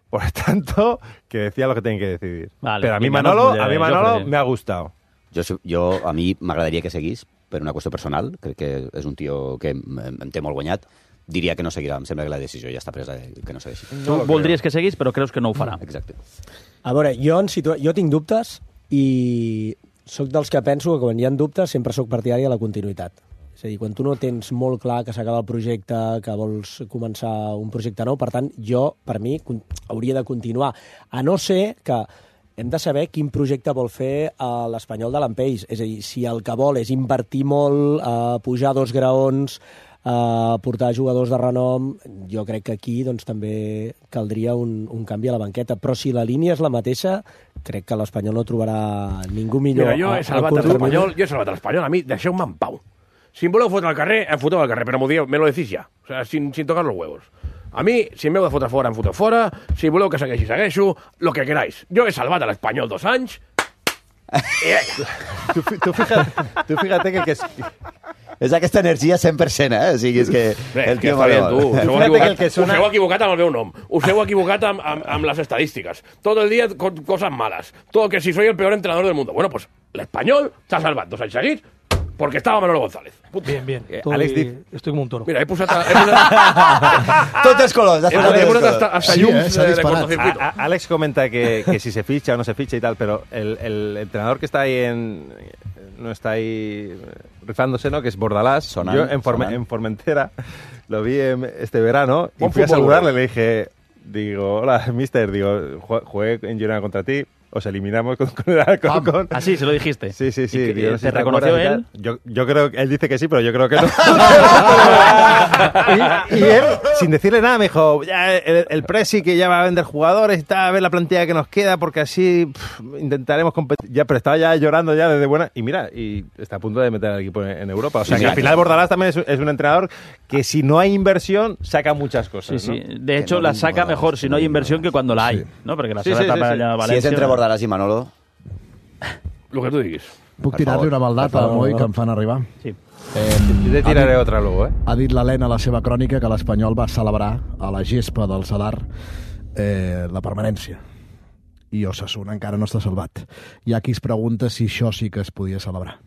Speaker 3: Por tanto, que decía lo que tienen que decidir.
Speaker 1: Vale,
Speaker 3: pero a mí
Speaker 1: vinga,
Speaker 3: Manolo,
Speaker 1: no,
Speaker 3: a mí Manolo me ha gustado.
Speaker 2: Jo, jo, a mi m'agradaria que seguís per una qüestió personal. Crec que és un tio que em, em té molt guanyat. Diria que no seguirà. Em sembla que la decisió ja està presa, que no segueixi.
Speaker 1: Tu no voldries que seguís, però creus que no ho farà.
Speaker 2: Exacte.
Speaker 5: A veure, jo, en situa... jo tinc dubtes i sóc dels que penso que quan hi ha dubtes sempre sóc partidari de la continuïtat. És a dir, quan tu no tens molt clar que s'acaba el projecte, que vols començar un projecte nou, per tant, jo, per mi, hauria de continuar. A no ser que hem de saber quin projecte vol fer l'Espanyol de l'Ampeix. És a dir, si el que vol és invertir molt, eh, pujar dos graons, eh, portar jugadors de renom, jo crec que aquí doncs, també caldria un, un canvi a la banqueta. Però si la línia és la mateixa, crec que l'Espanyol no trobarà ningú millor.
Speaker 9: Mira, jo he salvat l'Espanyol, jo he salvat l'Espanyol, a mi deixeu-me en pau. Si em voleu fotre al carrer, em foteu al carrer, però m'ho dieu, me lo decís ja. O sea, sin, sin tocar los huevos. A mi, si m'heu de fotre fora, em foteu fora. Si voleu que segueixi, segueixo. Lo que queráis. Jo he salvat a l'Espanyol dos anys
Speaker 3: tu, tu, fíjate, tu fíjate que el que... Es...
Speaker 2: És aquesta energia cent per cent, eh? O sigui, és que...
Speaker 9: Bé,
Speaker 2: el
Speaker 9: que
Speaker 2: tio
Speaker 9: està bé, tu. Us heu equivocat,
Speaker 3: que sona...
Speaker 9: us heu equivocat amb el meu nom. Us heu equivocat amb, amb, amb les estadístiques. Todo el día con cosas malas. Todo que si soy el peor entrenador del mundo. Bueno, pues el español se ha salvat dos anys seguits porque estaba Manolo González.
Speaker 11: Bien, bien. Estoy,
Speaker 3: Alex, dic...
Speaker 11: estoy como un toro.
Speaker 9: Mira, he posat... He posat...
Speaker 2: Tots els colors.
Speaker 9: He posat, he posat hasta, hasta
Speaker 6: Sí,
Speaker 9: llums
Speaker 6: eh,
Speaker 9: de, de cortocircuito.
Speaker 3: A, a, Alex comenta que, que si se ficha o no se ficha y tal, pero el, el entrenador que está ahí en... no está ahí rifándose, ¿no? Que es Bordalás.
Speaker 2: Sonan,
Speaker 3: Yo en, Forme,
Speaker 2: sonan.
Speaker 3: en Formentera lo vi en, este verano y
Speaker 9: Buen
Speaker 3: fui a
Speaker 9: fútbol,
Speaker 3: saludarle.
Speaker 9: bro.
Speaker 3: Le dije, digo, hola, mister, digo, jugué en Girona contra ti. Os eliminamos con, con el Alcorcón.
Speaker 1: Ah, sí, se lo dijiste.
Speaker 3: Sí, sí, sí.
Speaker 1: ¿Y que,
Speaker 3: Digo, no sé
Speaker 1: ¿Te
Speaker 3: si te
Speaker 1: reconoció
Speaker 3: acuerdas y
Speaker 1: él?
Speaker 3: tal. Yo, yo creo que él dice que sí, pero yo creo que no. y, y él, sin decirle nada, me dijo, ya el, el Presi que ya va a vender jugadores y tal, a ver la plantilla que nos queda, porque así pff, intentaremos competir. Ya, pero estaba ya llorando ya desde buena. Y mira, y está a punto de meter al equipo en, en Europa. O sea,
Speaker 2: Sí,
Speaker 3: que
Speaker 2: sí.
Speaker 3: al final Bordalás también es, es un entrenador que si no hay inversión, saca muchas cosas.
Speaker 1: Sí, sí.
Speaker 3: ¿no?
Speaker 1: De hecho,
Speaker 2: no
Speaker 1: la
Speaker 2: li-
Speaker 1: saca
Speaker 2: Bordalás,
Speaker 1: mejor si no hay inversión que cuando la hay,
Speaker 6: Sí.
Speaker 1: ¿no? Porque la
Speaker 3: Sí,
Speaker 1: seva
Speaker 3: sí,
Speaker 1: etapa
Speaker 3: sí, sí.
Speaker 1: allà a
Speaker 2: Si
Speaker 1: València...
Speaker 2: és entre Bordalás i Manolo...
Speaker 9: Lo que tú digas.
Speaker 6: Puc
Speaker 2: Per
Speaker 6: tirar-li
Speaker 2: favor,
Speaker 6: una maldata
Speaker 1: per
Speaker 6: a
Speaker 1: favor.
Speaker 6: Moi que em fan arribar?
Speaker 1: Sí.
Speaker 6: Eh,
Speaker 3: Yo te tiraré otra luego, ¿eh?
Speaker 6: ha dit l'Helena a la seva crònica que l'Espanyol va celebrar a la gespa del Sadar eh, la permanència. I Osasuna encara no està salvat. Hi ha qui es pregunta si això sí que es podia celebrar.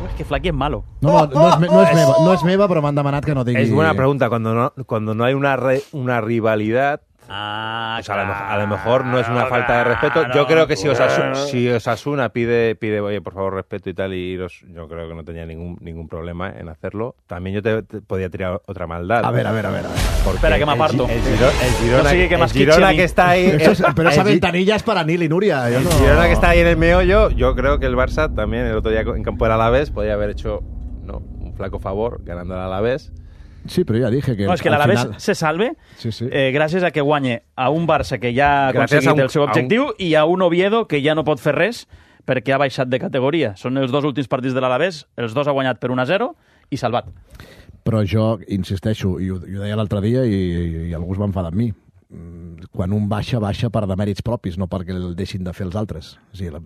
Speaker 1: Es que Flaky es malo.
Speaker 6: No, no, no, és, me- no, és meva, no és meva, però m'han demanat que no digui...
Speaker 3: Es buena pregunta. Cuando no, cuando no hay una, re- una rivalidad,
Speaker 1: Ah,
Speaker 3: pues a, lo, mejor- a lo mejor no es una falta de respeto. Yo creo que si Osasuna, si Osasuna pide, pide, oye, por favor, respeto y tal, y iros, yo creo que no tenía ningún ningún problema en hacerlo. También yo te, te podía tirar otra maldad.
Speaker 6: A ver, a ver, a ver. A ver.
Speaker 3: Porque
Speaker 1: Espera, que me aparto.
Speaker 3: El, Gi- el, Giro- el Girona,
Speaker 1: No sigui que
Speaker 3: el
Speaker 1: m'esquitxi
Speaker 3: Girona
Speaker 1: a mi.
Speaker 3: que está ahí...
Speaker 6: Eso es- pero esa
Speaker 3: el Gi-
Speaker 6: ventanilla es para Nil y Nuria. Yo
Speaker 3: el
Speaker 6: no...
Speaker 3: Girona que está ahí en el meollo, yo creo que el Barça también el otro día en campo del Alavés podía haber hecho no, un flaco favor ganando al Alavés.
Speaker 6: Sí, però ja dije que...
Speaker 1: No, és que
Speaker 6: al
Speaker 1: l'Alavés
Speaker 6: final-
Speaker 1: se salve
Speaker 6: Sí, sí.
Speaker 1: eh, gràcies a que guanye a un Barça que ja ha
Speaker 3: Gràcies
Speaker 1: aconseguit
Speaker 3: a un-
Speaker 1: el seu
Speaker 3: a un-
Speaker 1: objectiu i a un Oviedo que ja no pot fer res perquè ha baixat de categoria. Són els dos últims partits de l'Alavés, els dos ha guanyat per un a zero i salvat.
Speaker 6: Però jo insisteixo, i ho, i ho deia l'altre dia i, i, i algú es va enfadar amb mi, Mm, quan un baixa, baixa per demèrits propis, no perquè el deixin de fer els altres. O sigui, la,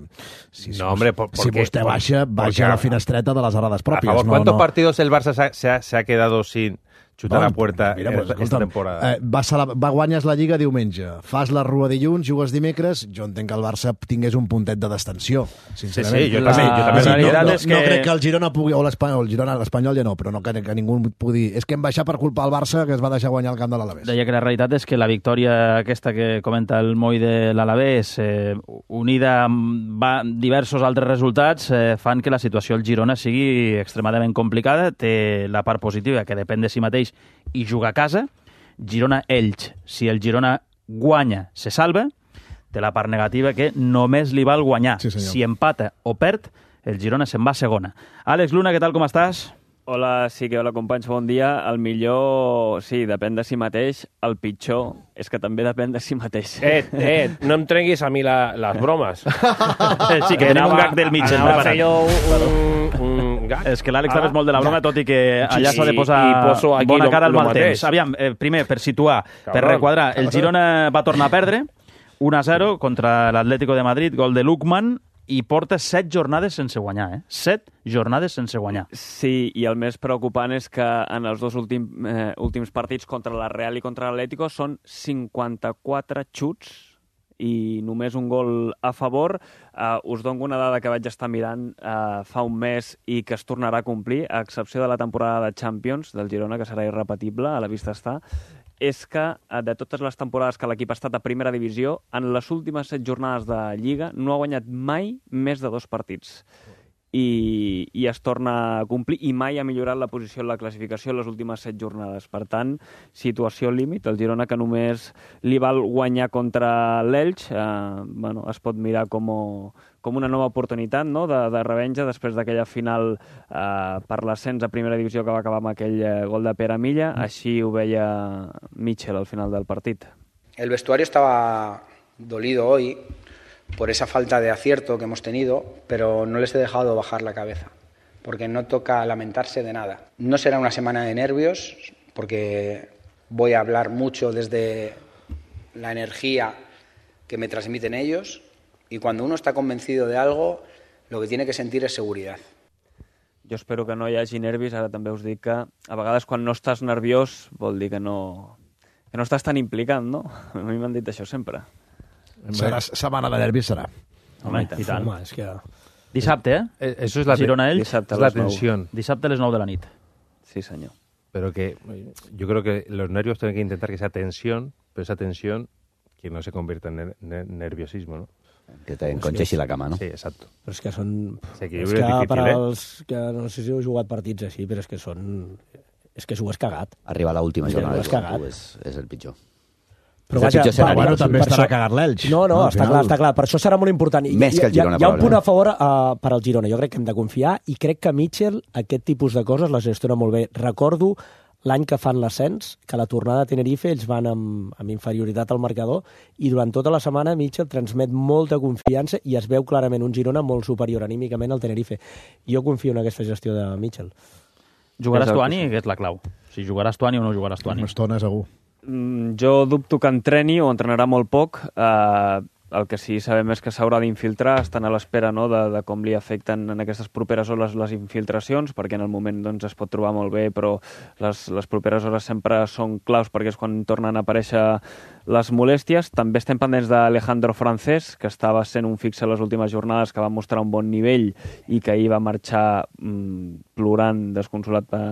Speaker 6: si, si,
Speaker 3: No, hombre, por-
Speaker 6: si
Speaker 3: porque-
Speaker 6: vostè
Speaker 3: por-
Speaker 6: baixa, baixa
Speaker 3: porque-
Speaker 6: a la finestreta de les errades
Speaker 3: Por
Speaker 6: pròpies.
Speaker 3: favor,
Speaker 6: no,
Speaker 3: ¿cuántos
Speaker 6: no.
Speaker 3: partidos el Barça se ha, se ha- se ha quedado sin chutar
Speaker 6: Bueno,
Speaker 3: a puerta
Speaker 6: mira,
Speaker 3: en
Speaker 6: pues,
Speaker 3: esta
Speaker 6: escolta'm,
Speaker 3: temporada?
Speaker 6: Eh, va, cele- va guanyes la Lliga diumenge, fas la Rua dilluns, jugues dimecres, jo entenc que el Barça tingués un puntet de distensió, sincerament.
Speaker 3: Sí, sí, jo
Speaker 1: La
Speaker 3: també, jo també.
Speaker 1: realitat
Speaker 6: no, no,
Speaker 1: és
Speaker 6: no
Speaker 1: que-
Speaker 6: crec que el Girona pugui, o l'Espanyol, el Girona, l'Espanyol ja no, però no que, que ningú pugui dir és que hem baixat per culpa del Barça que es va deixar guanyar el camp de l'Alavés.
Speaker 1: Deia que la realitat és que la victòria aquesta que comenta el Moi de l'Alavés, eh, unida amb va, diversos altres resultats, eh, fan que la situació al Girona sigui extremadament complicada. Té la part positiva, que depèn de si mateix i juga a casa. Girona-Elx, si el Girona guanya, se salva. Té la part negativa, que només li val guanyar.
Speaker 6: Sí, senyor.
Speaker 1: Si empata o perd, el Girona se'n va a segona. Àlex Luna, què tal, com estàs?
Speaker 14: Hola, sí que hola companys, bon dia. El millor, sí, depèn de si mateix. El pitjor és que també depèn de si mateix.
Speaker 9: Eh, eh, no em trenguis a mi la, les bromes.
Speaker 1: Sí, que tenim un gag del Mitchell
Speaker 9: Anava a
Speaker 1: preparat.
Speaker 9: fer jo un, un gag.
Speaker 1: És que l'Àlex també
Speaker 9: Ara,
Speaker 1: és molt de la broma, tot i que allà
Speaker 9: Sí,
Speaker 1: s'ha de posar
Speaker 9: i poso aquí
Speaker 1: bona
Speaker 9: lo-
Speaker 1: cara al
Speaker 9: lo
Speaker 1: mal
Speaker 9: mateix.
Speaker 1: temps. Aviam, eh, primer, per situar, per
Speaker 9: Cabron.
Speaker 1: requadrar, el Girona va tornar a perdre un a zero contra l'Atlético de Madrid, gol de Lukman, i porta set jornades sense guanyar, eh? Set jornades sense guanyar.
Speaker 14: Sí, i el més preocupant és que en els dos últim, eh, últims partits contra la Real i contra l'Atlético són cinquanta-quatre xuts i només un gol a favor. Uh, us dono una dada que vaig estar mirant uh, fa un mes i que es tornarà a complir, a excepció de la temporada de Champions del Girona, que serà irrepetible, a la vista està, és que uh, de totes les temporades que l'equip ha estat a primera divisió, en les últimes set jornades de Lliga no ha guanyat mai més de dos partits. I, i es torna a complir, i mai ha millorat la posició en la classificació en les últimes set jornades. Per tant, situació límit. El Girona, que només li val guanyar contra l'Elx, eh, bueno, es pot mirar com, com una nova oportunitat, no?, de, de revenja després d'aquella final eh, per l'ascens a primera divisió que va acabar amb aquell eh, gol de Pere Milla. Així ho veia Mitchell al final del partit.
Speaker 15: El vestuario estaba dolido hoy por esa falta de acierto que hemos tenido, pero no les he dejado bajar la cabeza, porque no toca lamentarse de nada. No será una semana de nervios, porque voy a hablar mucho desde la energía que me transmiten ellos Y cuando uno está convencido de algo, lo que tiene que sentir es seguridad.
Speaker 14: Jo espero que no hi hagi nervis. Ara també us dic que a vegades quan no estàs nerviós vol dir que no, que no estàs tan implicat, no? A mi m'han dit això sempre.
Speaker 6: Serà setmana de nervis, serà.
Speaker 1: Home, i tant.
Speaker 11: Home, és que...
Speaker 1: Dissabte, eh?
Speaker 3: Eh, Eso es la,
Speaker 1: Girona Elx,
Speaker 3: es la tensión.
Speaker 1: Dissabte a les nou de la nit.
Speaker 14: Sí, senyor.
Speaker 3: Pero que yo creo que los nervios tienen que intentar que sea tensión, pero esa tensión que no se convierta en ner ner nerviosismo, ¿no?
Speaker 2: Que te enconxeixi la cama, no?
Speaker 3: Sí, exacto.
Speaker 5: Però és que són...
Speaker 3: Sí, que
Speaker 5: és
Speaker 3: és
Speaker 5: que
Speaker 3: difícil,
Speaker 5: per
Speaker 3: eh?
Speaker 5: als que no sé si heu jugat partits així, però és que són... És que s'ho has cagat.
Speaker 2: Arribar a l'última
Speaker 5: Ja
Speaker 2: jornada
Speaker 5: ho has
Speaker 2: de
Speaker 5: cagat.
Speaker 2: és, és el pitjor.
Speaker 5: Però
Speaker 2: és el pitjor escenari.
Speaker 6: Bueno, també
Speaker 5: per
Speaker 6: estarà
Speaker 5: això-
Speaker 6: cagat l'Elx.
Speaker 5: No, no,
Speaker 6: Al
Speaker 5: està
Speaker 6: final.
Speaker 5: clar, està clar. Per això serà molt important. I
Speaker 2: Més
Speaker 5: hi-
Speaker 2: que el Girona,
Speaker 5: Hi ha, hi ha un punt
Speaker 2: probablement.
Speaker 5: a favor uh, per al Girona. Jo crec que hem de confiar i crec que Mitchell aquest tipus de coses les gestiona molt bé. Recordo l'any que fan l'ascens, que a la tornada a Tenerife ells van amb, amb inferioritat al marcador i durant tota la setmana Mitchell transmet molta confiança i es veu clarament un Girona molt superior anímicament al Tenerife. Jo confio en aquesta gestió de Mitchell.
Speaker 1: Jugaràs
Speaker 14: És el
Speaker 1: Tuani, que és la clau. Si jugaràs Tuani o no jugaràs Tuani.
Speaker 6: Una estona, segur.
Speaker 14: Mm, jo dubto que entreni o entrenarà molt poc. Eh, el que sí sabem és que s'haurà d'infiltrar, estan a l'espera, no, de, de com li afecten en aquestes properes hores les infiltracions, perquè en el moment doncs, es pot trobar molt bé, però les, les properes hores sempre són claus perquè és quan tornen a aparèixer les molèsties. També estem pendents d'Alejandro Francés, que estava sent un fixe les últimes jornades, que va mostrar un bon nivell i que ahir va marxar mm, plorant, desconsolat per,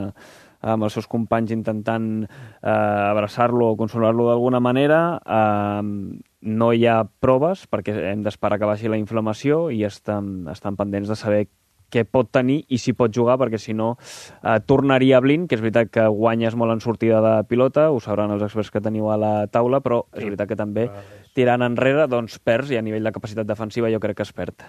Speaker 14: amb els seus companys intentant eh, abraçar-lo o consolar-lo d'alguna manera. Eh, no hi ha proves perquè hem d'esperar que baixi la inflamació i estan, estan pendents de saber què pot tenir i si pot jugar, perquè si no eh, tornaria a Blin, que és veritat que guanyes molt en sortida de pilota, ho sabran els experts que teniu a la taula, però és veritat que també tirant enrere doncs perds i a nivell de capacitat defensiva jo crec que es perd.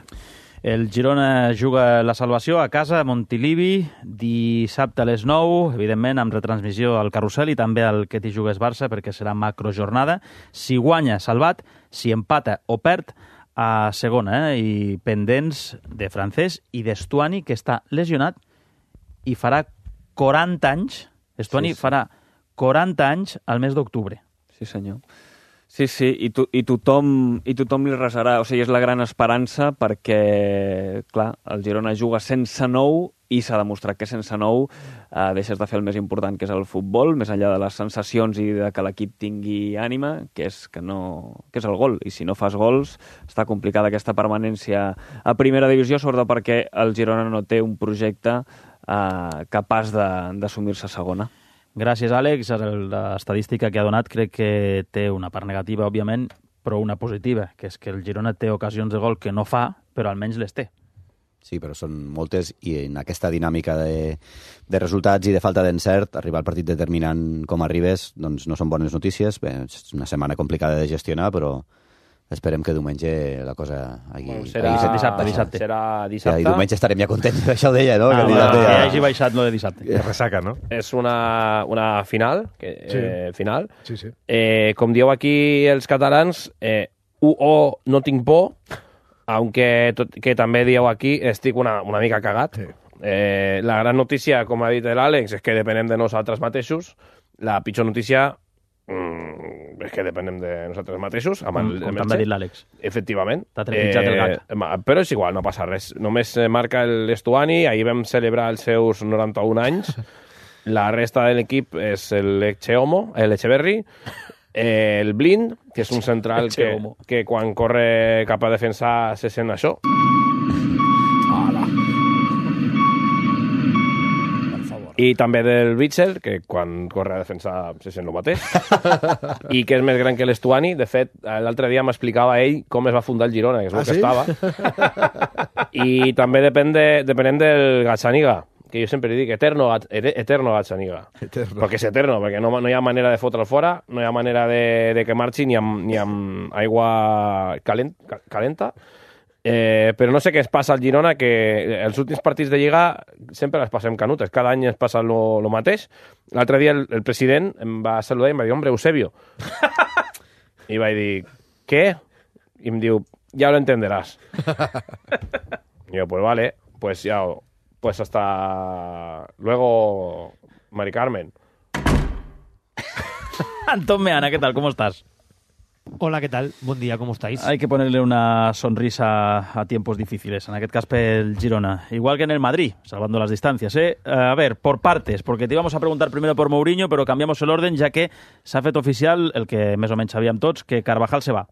Speaker 1: El Girona juga la salvació a casa, a Montilivi, dissabte a les nou, evidentment amb retransmissió al Carrusel i també al Que t'hi jugues Barça, perquè serà macrojornada. Si guanya, salvat. Si empata o perd, a segona, eh? I pendents de Francés i d'Estuani, que està lesionat i farà quaranta anys. Estuani
Speaker 14: Sí, sí.
Speaker 1: farà quaranta anys al mes d'octubre.
Speaker 14: Sí, senyor. Sí, sí, i, to i, tothom, i tothom li resarà. O sigui, és la gran esperança perquè, clar, el Girona juga sense nou i s'ha demostrat que sense nou eh, deixes de fer el més important, que és el futbol, més enllà de les sensacions i de que l'equip tingui ànima, que és, que, no, que és el gol. I si no fas gols, està complicada aquesta permanència a primera divisió, sobretot perquè el Girona no té un projecte eh, capaç d'assumir-se a segona.
Speaker 1: Gràcies, Àlex. L'estadística que ha donat crec que té una part negativa, òbviament, però una positiva, que és que el Girona té ocasions de gol que no fa, però almenys les té.
Speaker 2: Sí, però són moltes i en aquesta dinàmica de, de resultats i de falta d'encert, arribar al partit determinant com arribes, doncs no són bones notícies. Bé, és una setmana complicada de gestionar, però esperem que diumenge la cosa hagi...
Speaker 9: Bueno, serà
Speaker 2: hagi set-
Speaker 1: dissabte, dissabte.
Speaker 9: Serà
Speaker 2: Ja,
Speaker 9: dissabte.
Speaker 2: I diumenge estarem ja contents, això ho deia, no?
Speaker 1: Ah,
Speaker 2: que
Speaker 1: que
Speaker 2: dissabte ja...
Speaker 1: hagi baixat lo de dissabte.
Speaker 3: Que resaca, ¿no?
Speaker 9: És una, una final, que,
Speaker 6: Sí.
Speaker 9: eh, final.
Speaker 6: Sí, sí.
Speaker 9: Eh, com dieu aquí els catalans, eh, u o no tinc por, aunque tot, que també dieu aquí, estic una, una mica cagat.
Speaker 6: Sí.
Speaker 9: Eh, la gran notícia, com ha dit l'Àlex, és que depenem de nosaltres mateixos. La pitjor notícia mm, és que depenem de nosaltres mateixos. Amb
Speaker 1: Com,
Speaker 9: el,
Speaker 1: com
Speaker 9: amb el
Speaker 1: també ha
Speaker 9: Che.
Speaker 1: dit l'Àlex.
Speaker 9: Efectivament.
Speaker 1: T'ha trepitjat el gat.
Speaker 9: ma- Però és igual, no passa res. Només eh, marca l'Estuani, ahir vam celebrar els seus noranta-un anys. La resta de l'equip és l'Echeomo, l'Echeverri, eh, el Blind, que és un central que,
Speaker 1: Echeomo.
Speaker 9: que quan corre cap a defensar se sent això. I també del Bitzel, que quan corre a defensar se sent el mateix. I que és més gran que l'Estuani. De fet, l'altre dia m'explicava ell com es va fundar el Girona, que és el
Speaker 6: Ah,
Speaker 9: que
Speaker 6: sí?
Speaker 9: estava. I també depèn, de, depenent del Gazzaniga, que jo sempre dic eterno, gat- ete- eterno Gazzaniga.
Speaker 6: Eterno.
Speaker 9: Perquè és eterno, perquè no, no hi ha manera de fotre'l fora, no hi ha manera de, de que marxi ni amb, ni amb aigua calent, ca- calenta. Eh, però no sé què es passa al Girona, que els últims partits de Lliga sempre les passem canutes, cada any es passa lo, lo mateix. L'altre dia el, el president em va saludar i em va dir, hombre, Eusebio. I vaig dir, què? I em diu, ya lo entenderás. I jo, pues vale, pues ya, pues hasta luego, Mari Carmen.
Speaker 1: Anton Meana, ¿qué tal? ¿Cómo estás?
Speaker 16: Hola, ¿qué tal? Buen día, ¿cómo estáis?
Speaker 1: Hay que ponerle una sonrisa a tiempos difíciles, en aquest cas pel Girona. Igual que en el Madrid, salvando las distancias, ¿eh? A ver, por partes, porque te íbamos a preguntar primero por Mourinho, pero cambiamos el orden, ya que s'ha fet oficial, el que més o menys sabíem tots, que Carvajal se va.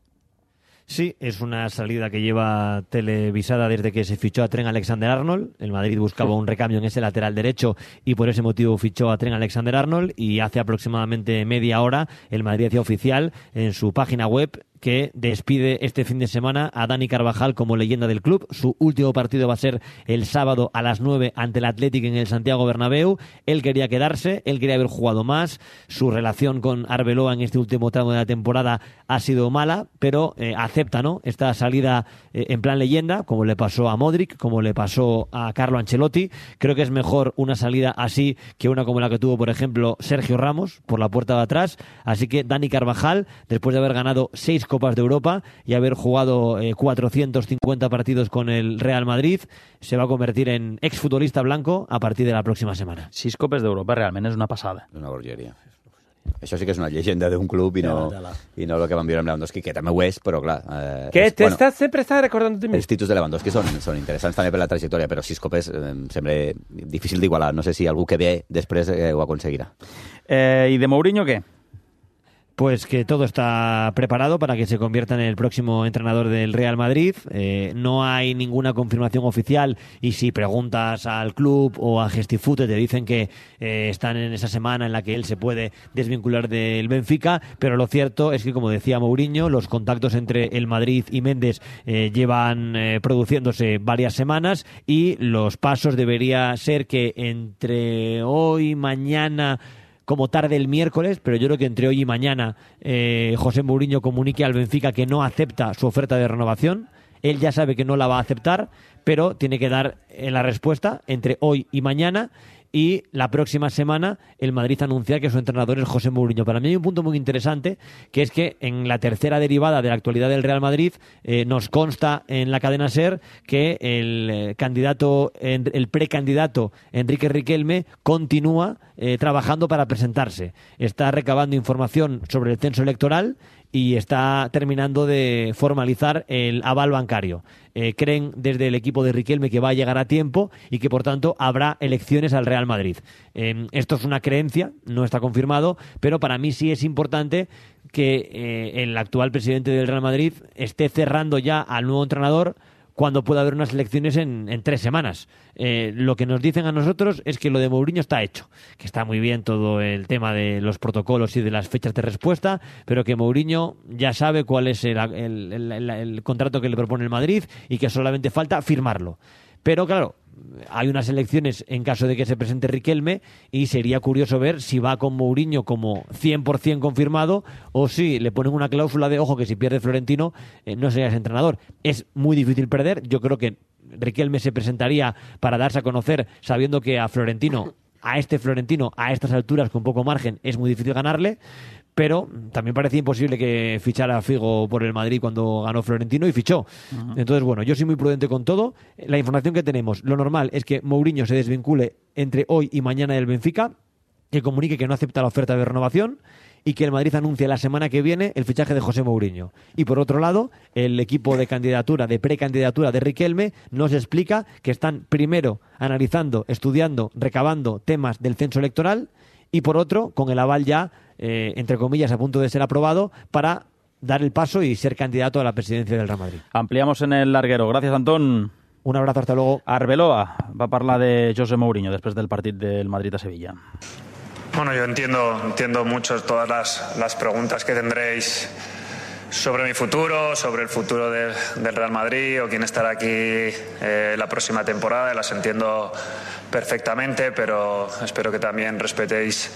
Speaker 16: Sí, es una salida que lleva televisada desde que se fichó a Trent Alexander-Arnold. El Madrid buscaba un recambio en ese lateral derecho y por ese motivo fichó a Trent Alexander-Arnold, y hace aproximadamente media hora el Madrid hacía oficial en su página web que despide este fin de semana a Dani Carvajal como leyenda del club. Su último partido va a ser el sábado a las nueve ante el Athletic en el Santiago Bernabéu. Él quería quedarse, él quería haber jugado más. Su relación con Arbeloa en este último tramo de la temporada ha sido mala, pero eh, acepta, ¿no?, esta salida eh, en plan leyenda, como le pasó a Modric, como le pasó a Carlo Ancelotti. Creo que es mejor una salida así que una como la que tuvo, por ejemplo, Sergio Ramos por la puerta de atrás. Así que Dani Carvajal, después de haber ganado seis Copas de Europa y haber jugado eh, cuatrocientos cincuenta partidos con el Real Madrid, se va a convertir en exfutbolista blanco a partir de la próxima semana.
Speaker 1: Sis Copes d'Europa, realment és una passada.
Speaker 2: Una bogeria. Això sí que és una llegenda d'un club i no, i no el que van viure amb Lewandowski, que també ho és, però clar... Eh,
Speaker 9: que
Speaker 2: és,
Speaker 9: te
Speaker 2: bueno,
Speaker 9: estás, sempre estàs recordant de mi.
Speaker 2: Els títols de Lewandowski són, són interessants també per la trajectòria, però sis copes eh, em sembla difícil d'igualar. No sé si algú que ve després eh, ho aconseguirà.
Speaker 1: Eh, I de Mourinho, què?
Speaker 16: Pues que todo está preparado para que se convierta en el próximo entrenador del Real Madrid. Eh, no hay ninguna confirmación oficial, y si preguntas al club o a Gestifute te dicen que eh, están en esa semana en la que él se puede desvincular del Benfica, pero lo cierto es que, como decía Mourinho, los contactos entre el Madrid y Méndez eh, llevan eh, produciéndose varias semanas, y los pasos debería ser que entre hoy, mañana, como tarde el miércoles, pero yo creo que entre hoy y mañana eh, José Mourinho comunique al Benfica que no acepta su oferta de renovación. Él ya sabe que no la va a aceptar, pero tiene que dar eh, la respuesta entre hoy y mañana, y la próxima semana el Madrid anuncia que su entrenador es José Mourinho. Para mí hay un punto muy interesante, que es que en la tercera derivada de la actualidad del Real Madrid eh, nos consta en la cadena SER que el eh, candidato, el precandidato Enrique Riquelme continúa eh, trabajando para presentarse. Está recabando información sobre el censo electoral y está terminando de formalizar el aval bancario. Eh, creen desde el equipo de Riquelme que va a llegar a tiempo y que por tanto habrá elecciones al Real Madrid. Eh, esto es una creencia, no está confirmado, pero para mí sí es importante que eh, el actual presidente del Real Madrid esté cerrando ya al nuevo entrenador cuando pueda haber unas elecciones en, en tres semanas. Eh, lo que nos dicen a nosotros es que lo de Mourinho está hecho, que está muy bien todo el tema de los protocolos y de las fechas de respuesta, pero que Mourinho ya sabe cuál es el, el, el, el, el contrato que le propone el Madrid y que solamente falta firmarlo. Pero claro, hay unas elecciones en caso de que se presente Riquelme, y sería curioso ver si va con Mourinho como cien por ciento confirmado, o si le ponen una cláusula de ojo que si pierde Florentino eh, no serías entrenador. Es muy difícil perder. Yo creo que Riquelme se presentaría para darse a conocer, sabiendo que a Florentino, a este Florentino, a estas alturas con poco margen, es muy difícil ganarle. Pero también parecía imposible que fichara a Figo por el Madrid cuando ganó Florentino, y fichó. Uh-huh. Entonces, bueno, yo soy muy prudente con todo. La información que tenemos, lo normal es que Mourinho se desvincule entre hoy y mañana del Benfica, que comunique que no acepta la oferta de renovación, y que el Madrid anuncie la semana que viene el fichaje de José Mourinho. Y por otro lado, el equipo de candidatura, de precandidatura de Riquelme, nos explica que están primero analizando, estudiando, recabando temas del censo electoral, y por otro, con el aval ya, eh, entre comillas, a punto de ser aprobado, para dar el paso y ser candidato a la presidencia del Real Madrid.
Speaker 1: Ampliamos en el larguero. Gracias, Antón.
Speaker 16: Un abrazo, hasta luego.
Speaker 1: Arbeloa va a parlar de José Mourinho después del partido del Madrid a Sevilla.
Speaker 17: Bueno, yo entiendo, entiendo mucho todas las, las preguntas que tendréis sobre mi futuro, sobre el futuro del, del Real Madrid o quién estará aquí eh, la próxima temporada. Las entiendo perfectamente, pero espero que también respetéis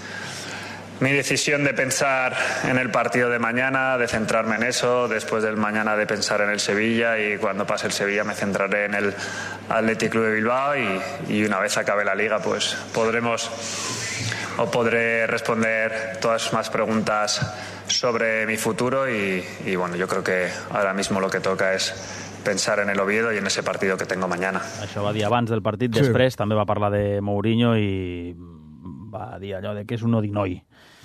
Speaker 17: mi decisión de pensar en el partido de mañana, de centrarme en eso, después del mañana de pensar en el Sevilla, y cuando pase el Sevilla me centraré en el Athletic Club de Bilbao, y, y una vez acabe la Liga pues podremos o podré responder todas más preguntas sobre mi futuro, y, y bueno, yo creo que ahora mismo lo que toca es pensar en el Oviedo y en ese partido que tengo mañana.
Speaker 1: Això va dir abans del partit,
Speaker 6: Sí.
Speaker 1: després també va parlar de Mourinho i va dir allò de que és un odinoi.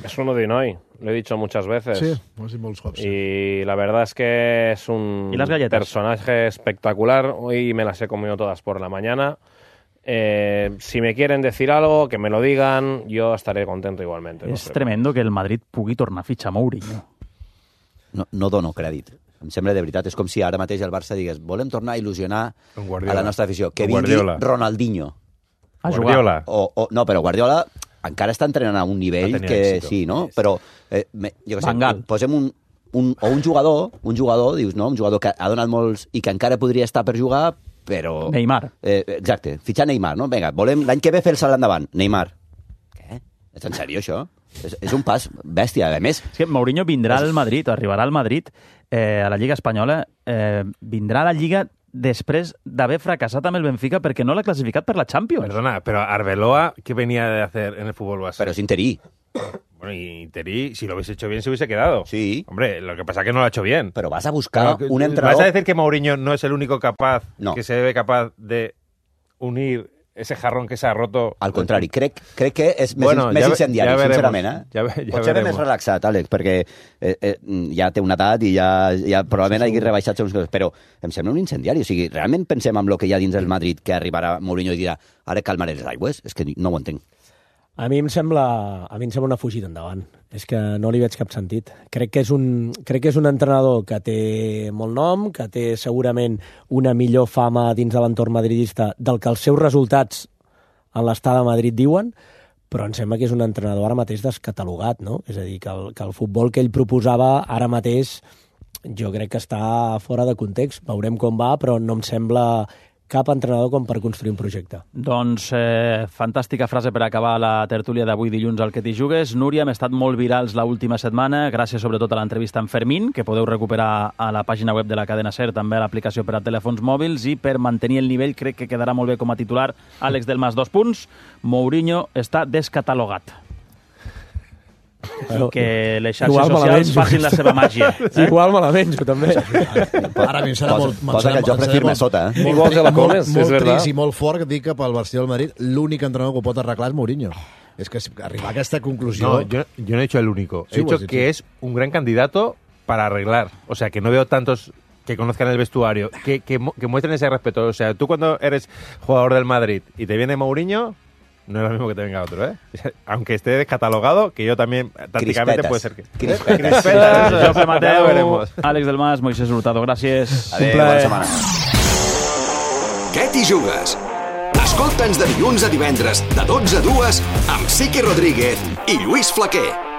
Speaker 9: Es un odinoi, lo he dicho muchas veces.
Speaker 6: Sí, ho has dit molts cops.
Speaker 9: Y la verdad es que es un
Speaker 1: ¿Y las galletas?
Speaker 9: personaje espectacular. Hoy me las he comido todas por la mañana. Eh, si me quieren decir algo, que me lo digan, yo estaré contento igualmente.
Speaker 1: És no tremendo que el Madrid pugui tornar a fitxar Mourinho.
Speaker 2: No, no dono crèdit. Em sembla de veritat. És com si ara mateix el Barça digués volem tornar a il·lusionar a la nostra afició. Que vingui Ronaldinho.
Speaker 1: A
Speaker 9: Guardiola.
Speaker 2: O, o, no, però Guardiola encara està entrenant a un nivell que
Speaker 9: èxito.
Speaker 2: Sí, no? Però, eh, me, jo què sé,
Speaker 1: Vangal.
Speaker 2: posem un, un, o un jugador, un jugador, dius, no? Un jugador que ha donat molts i que encara podria estar per jugar, però...
Speaker 1: Neymar.
Speaker 2: Eh, exacte, fitxar Neymar, no? Vinga, volem l'any que ve fer el salt endavant. Neymar. Què? És en sèrio, això? És, és un pas bèstia, a més.
Speaker 1: És que Mourinho vindrà al Madrid, o arribarà al Madrid, eh, a la Lliga Espanyola, eh, vindrà a la Lliga després d'haver fracassat amb el Benfica perquè no l'ha classificat per la Champions.
Speaker 3: Perdona, pero Arbeloa, ¿qué venía de hacer en el fútbol base?
Speaker 2: Pero es interí.
Speaker 3: Bueno, y Interí, si lo hubiese hecho bien, se hubiese quedado.
Speaker 2: Sí.
Speaker 3: Hombre, lo que pasa es que no lo ha hecho bien.
Speaker 2: Pero vas a buscar
Speaker 3: Pero,
Speaker 2: un entrenador...
Speaker 3: ¿Vas a decir que Mourinho no es el único capaz,
Speaker 2: no.
Speaker 3: que se debe capaz de unir ese jarrón que se ha roto?
Speaker 2: Al contrari, crec, crec que és més,
Speaker 3: bueno,
Speaker 2: més
Speaker 3: ja,
Speaker 2: incendiari,
Speaker 3: ja veremos,
Speaker 2: sincerament. Eh?
Speaker 3: Ja, ja
Speaker 2: Potser
Speaker 3: veremos.
Speaker 2: més relaxat, Àlex, perquè eh, eh, ja té una edat i ja, ja probablement sí, hagi rebaixat segons coses, però em sembla un incendiari. O sigui, realment pensem en el que hi ha dins el Madrid, que arribarà Mourinho i dirà ara calmaré les aigües? És que no ho entenc.
Speaker 5: A mi em sembla, a mi em sembla una fugida endavant. És que no li veig cap sentit. Crec que és un, crec que és un entrenador que té molt nom, que té segurament una millor fama dins de l'entorn madridista del que els seus resultats en l'estada a Madrid diuen, però em sembla que és un entrenador ara mateix descatalogat, no? És a dir, que el, que el futbol que ell proposava ara mateix jo crec que està fora de context. Veurem com va, però no em sembla cap entrenador com per construir un projecte.
Speaker 1: Doncs eh, fantàstica frase per acabar la tertúlia d'avui dilluns al Que t'hi jugues. Núria, hem estat molt virals l'última setmana, gràcies sobretot a l'entrevista amb Fermín, que podeu recuperar a la pàgina web de la cadena SER, també a l'aplicació per a telèfons mòbils, i per mantenir el nivell crec que quedarà molt bé com a titular Àlex del Mas, dos punts. Mourinho està descatalogat. Bueno, que les xarxes socials facin la seva màgia.
Speaker 5: Eh? Igual me la menjo, també.
Speaker 6: Ara a mi em serà molt...
Speaker 2: Posa que el Jofre firme sota, eh?
Speaker 6: Molt, molt, molt, molt trist i molt fort dir que pel Barcelona del Madrid l'únic entrenador que ho pot arreglar és Mourinho. Es que arribar a aquesta conclusió...
Speaker 3: No, yo, yo no he dicho el único. He
Speaker 6: Sí,
Speaker 3: dicho
Speaker 6: pues,
Speaker 3: que
Speaker 6: sí.
Speaker 3: es un gran candidato para arreglar. O sea, que no veo tantos que conozcan el vestuario, que, que, mu- que muestren ese respeto. O sea, tú cuando eres jugador del Madrid y te viene Mourinho, no es lo mismo que te venga otro, ¿eh? Aunque esté descatalogado, que yo también tácticamente
Speaker 2: Crispetas.
Speaker 3: puede ser que...
Speaker 2: Crispetas.
Speaker 3: Crispetas.
Speaker 1: Jofre
Speaker 3: Ya lo
Speaker 1: Mateu,
Speaker 3: veremos.
Speaker 1: Àlex del Mas, Moisés Hurtado, gràcies.
Speaker 2: Adéu,
Speaker 1: Un plaer.
Speaker 2: bona setmana.
Speaker 18: Què t'hi jugues? Escolta'ns de dilluns a divendres, de dotze a dues, amb Sique Rodríguez i Lluís Flaquer.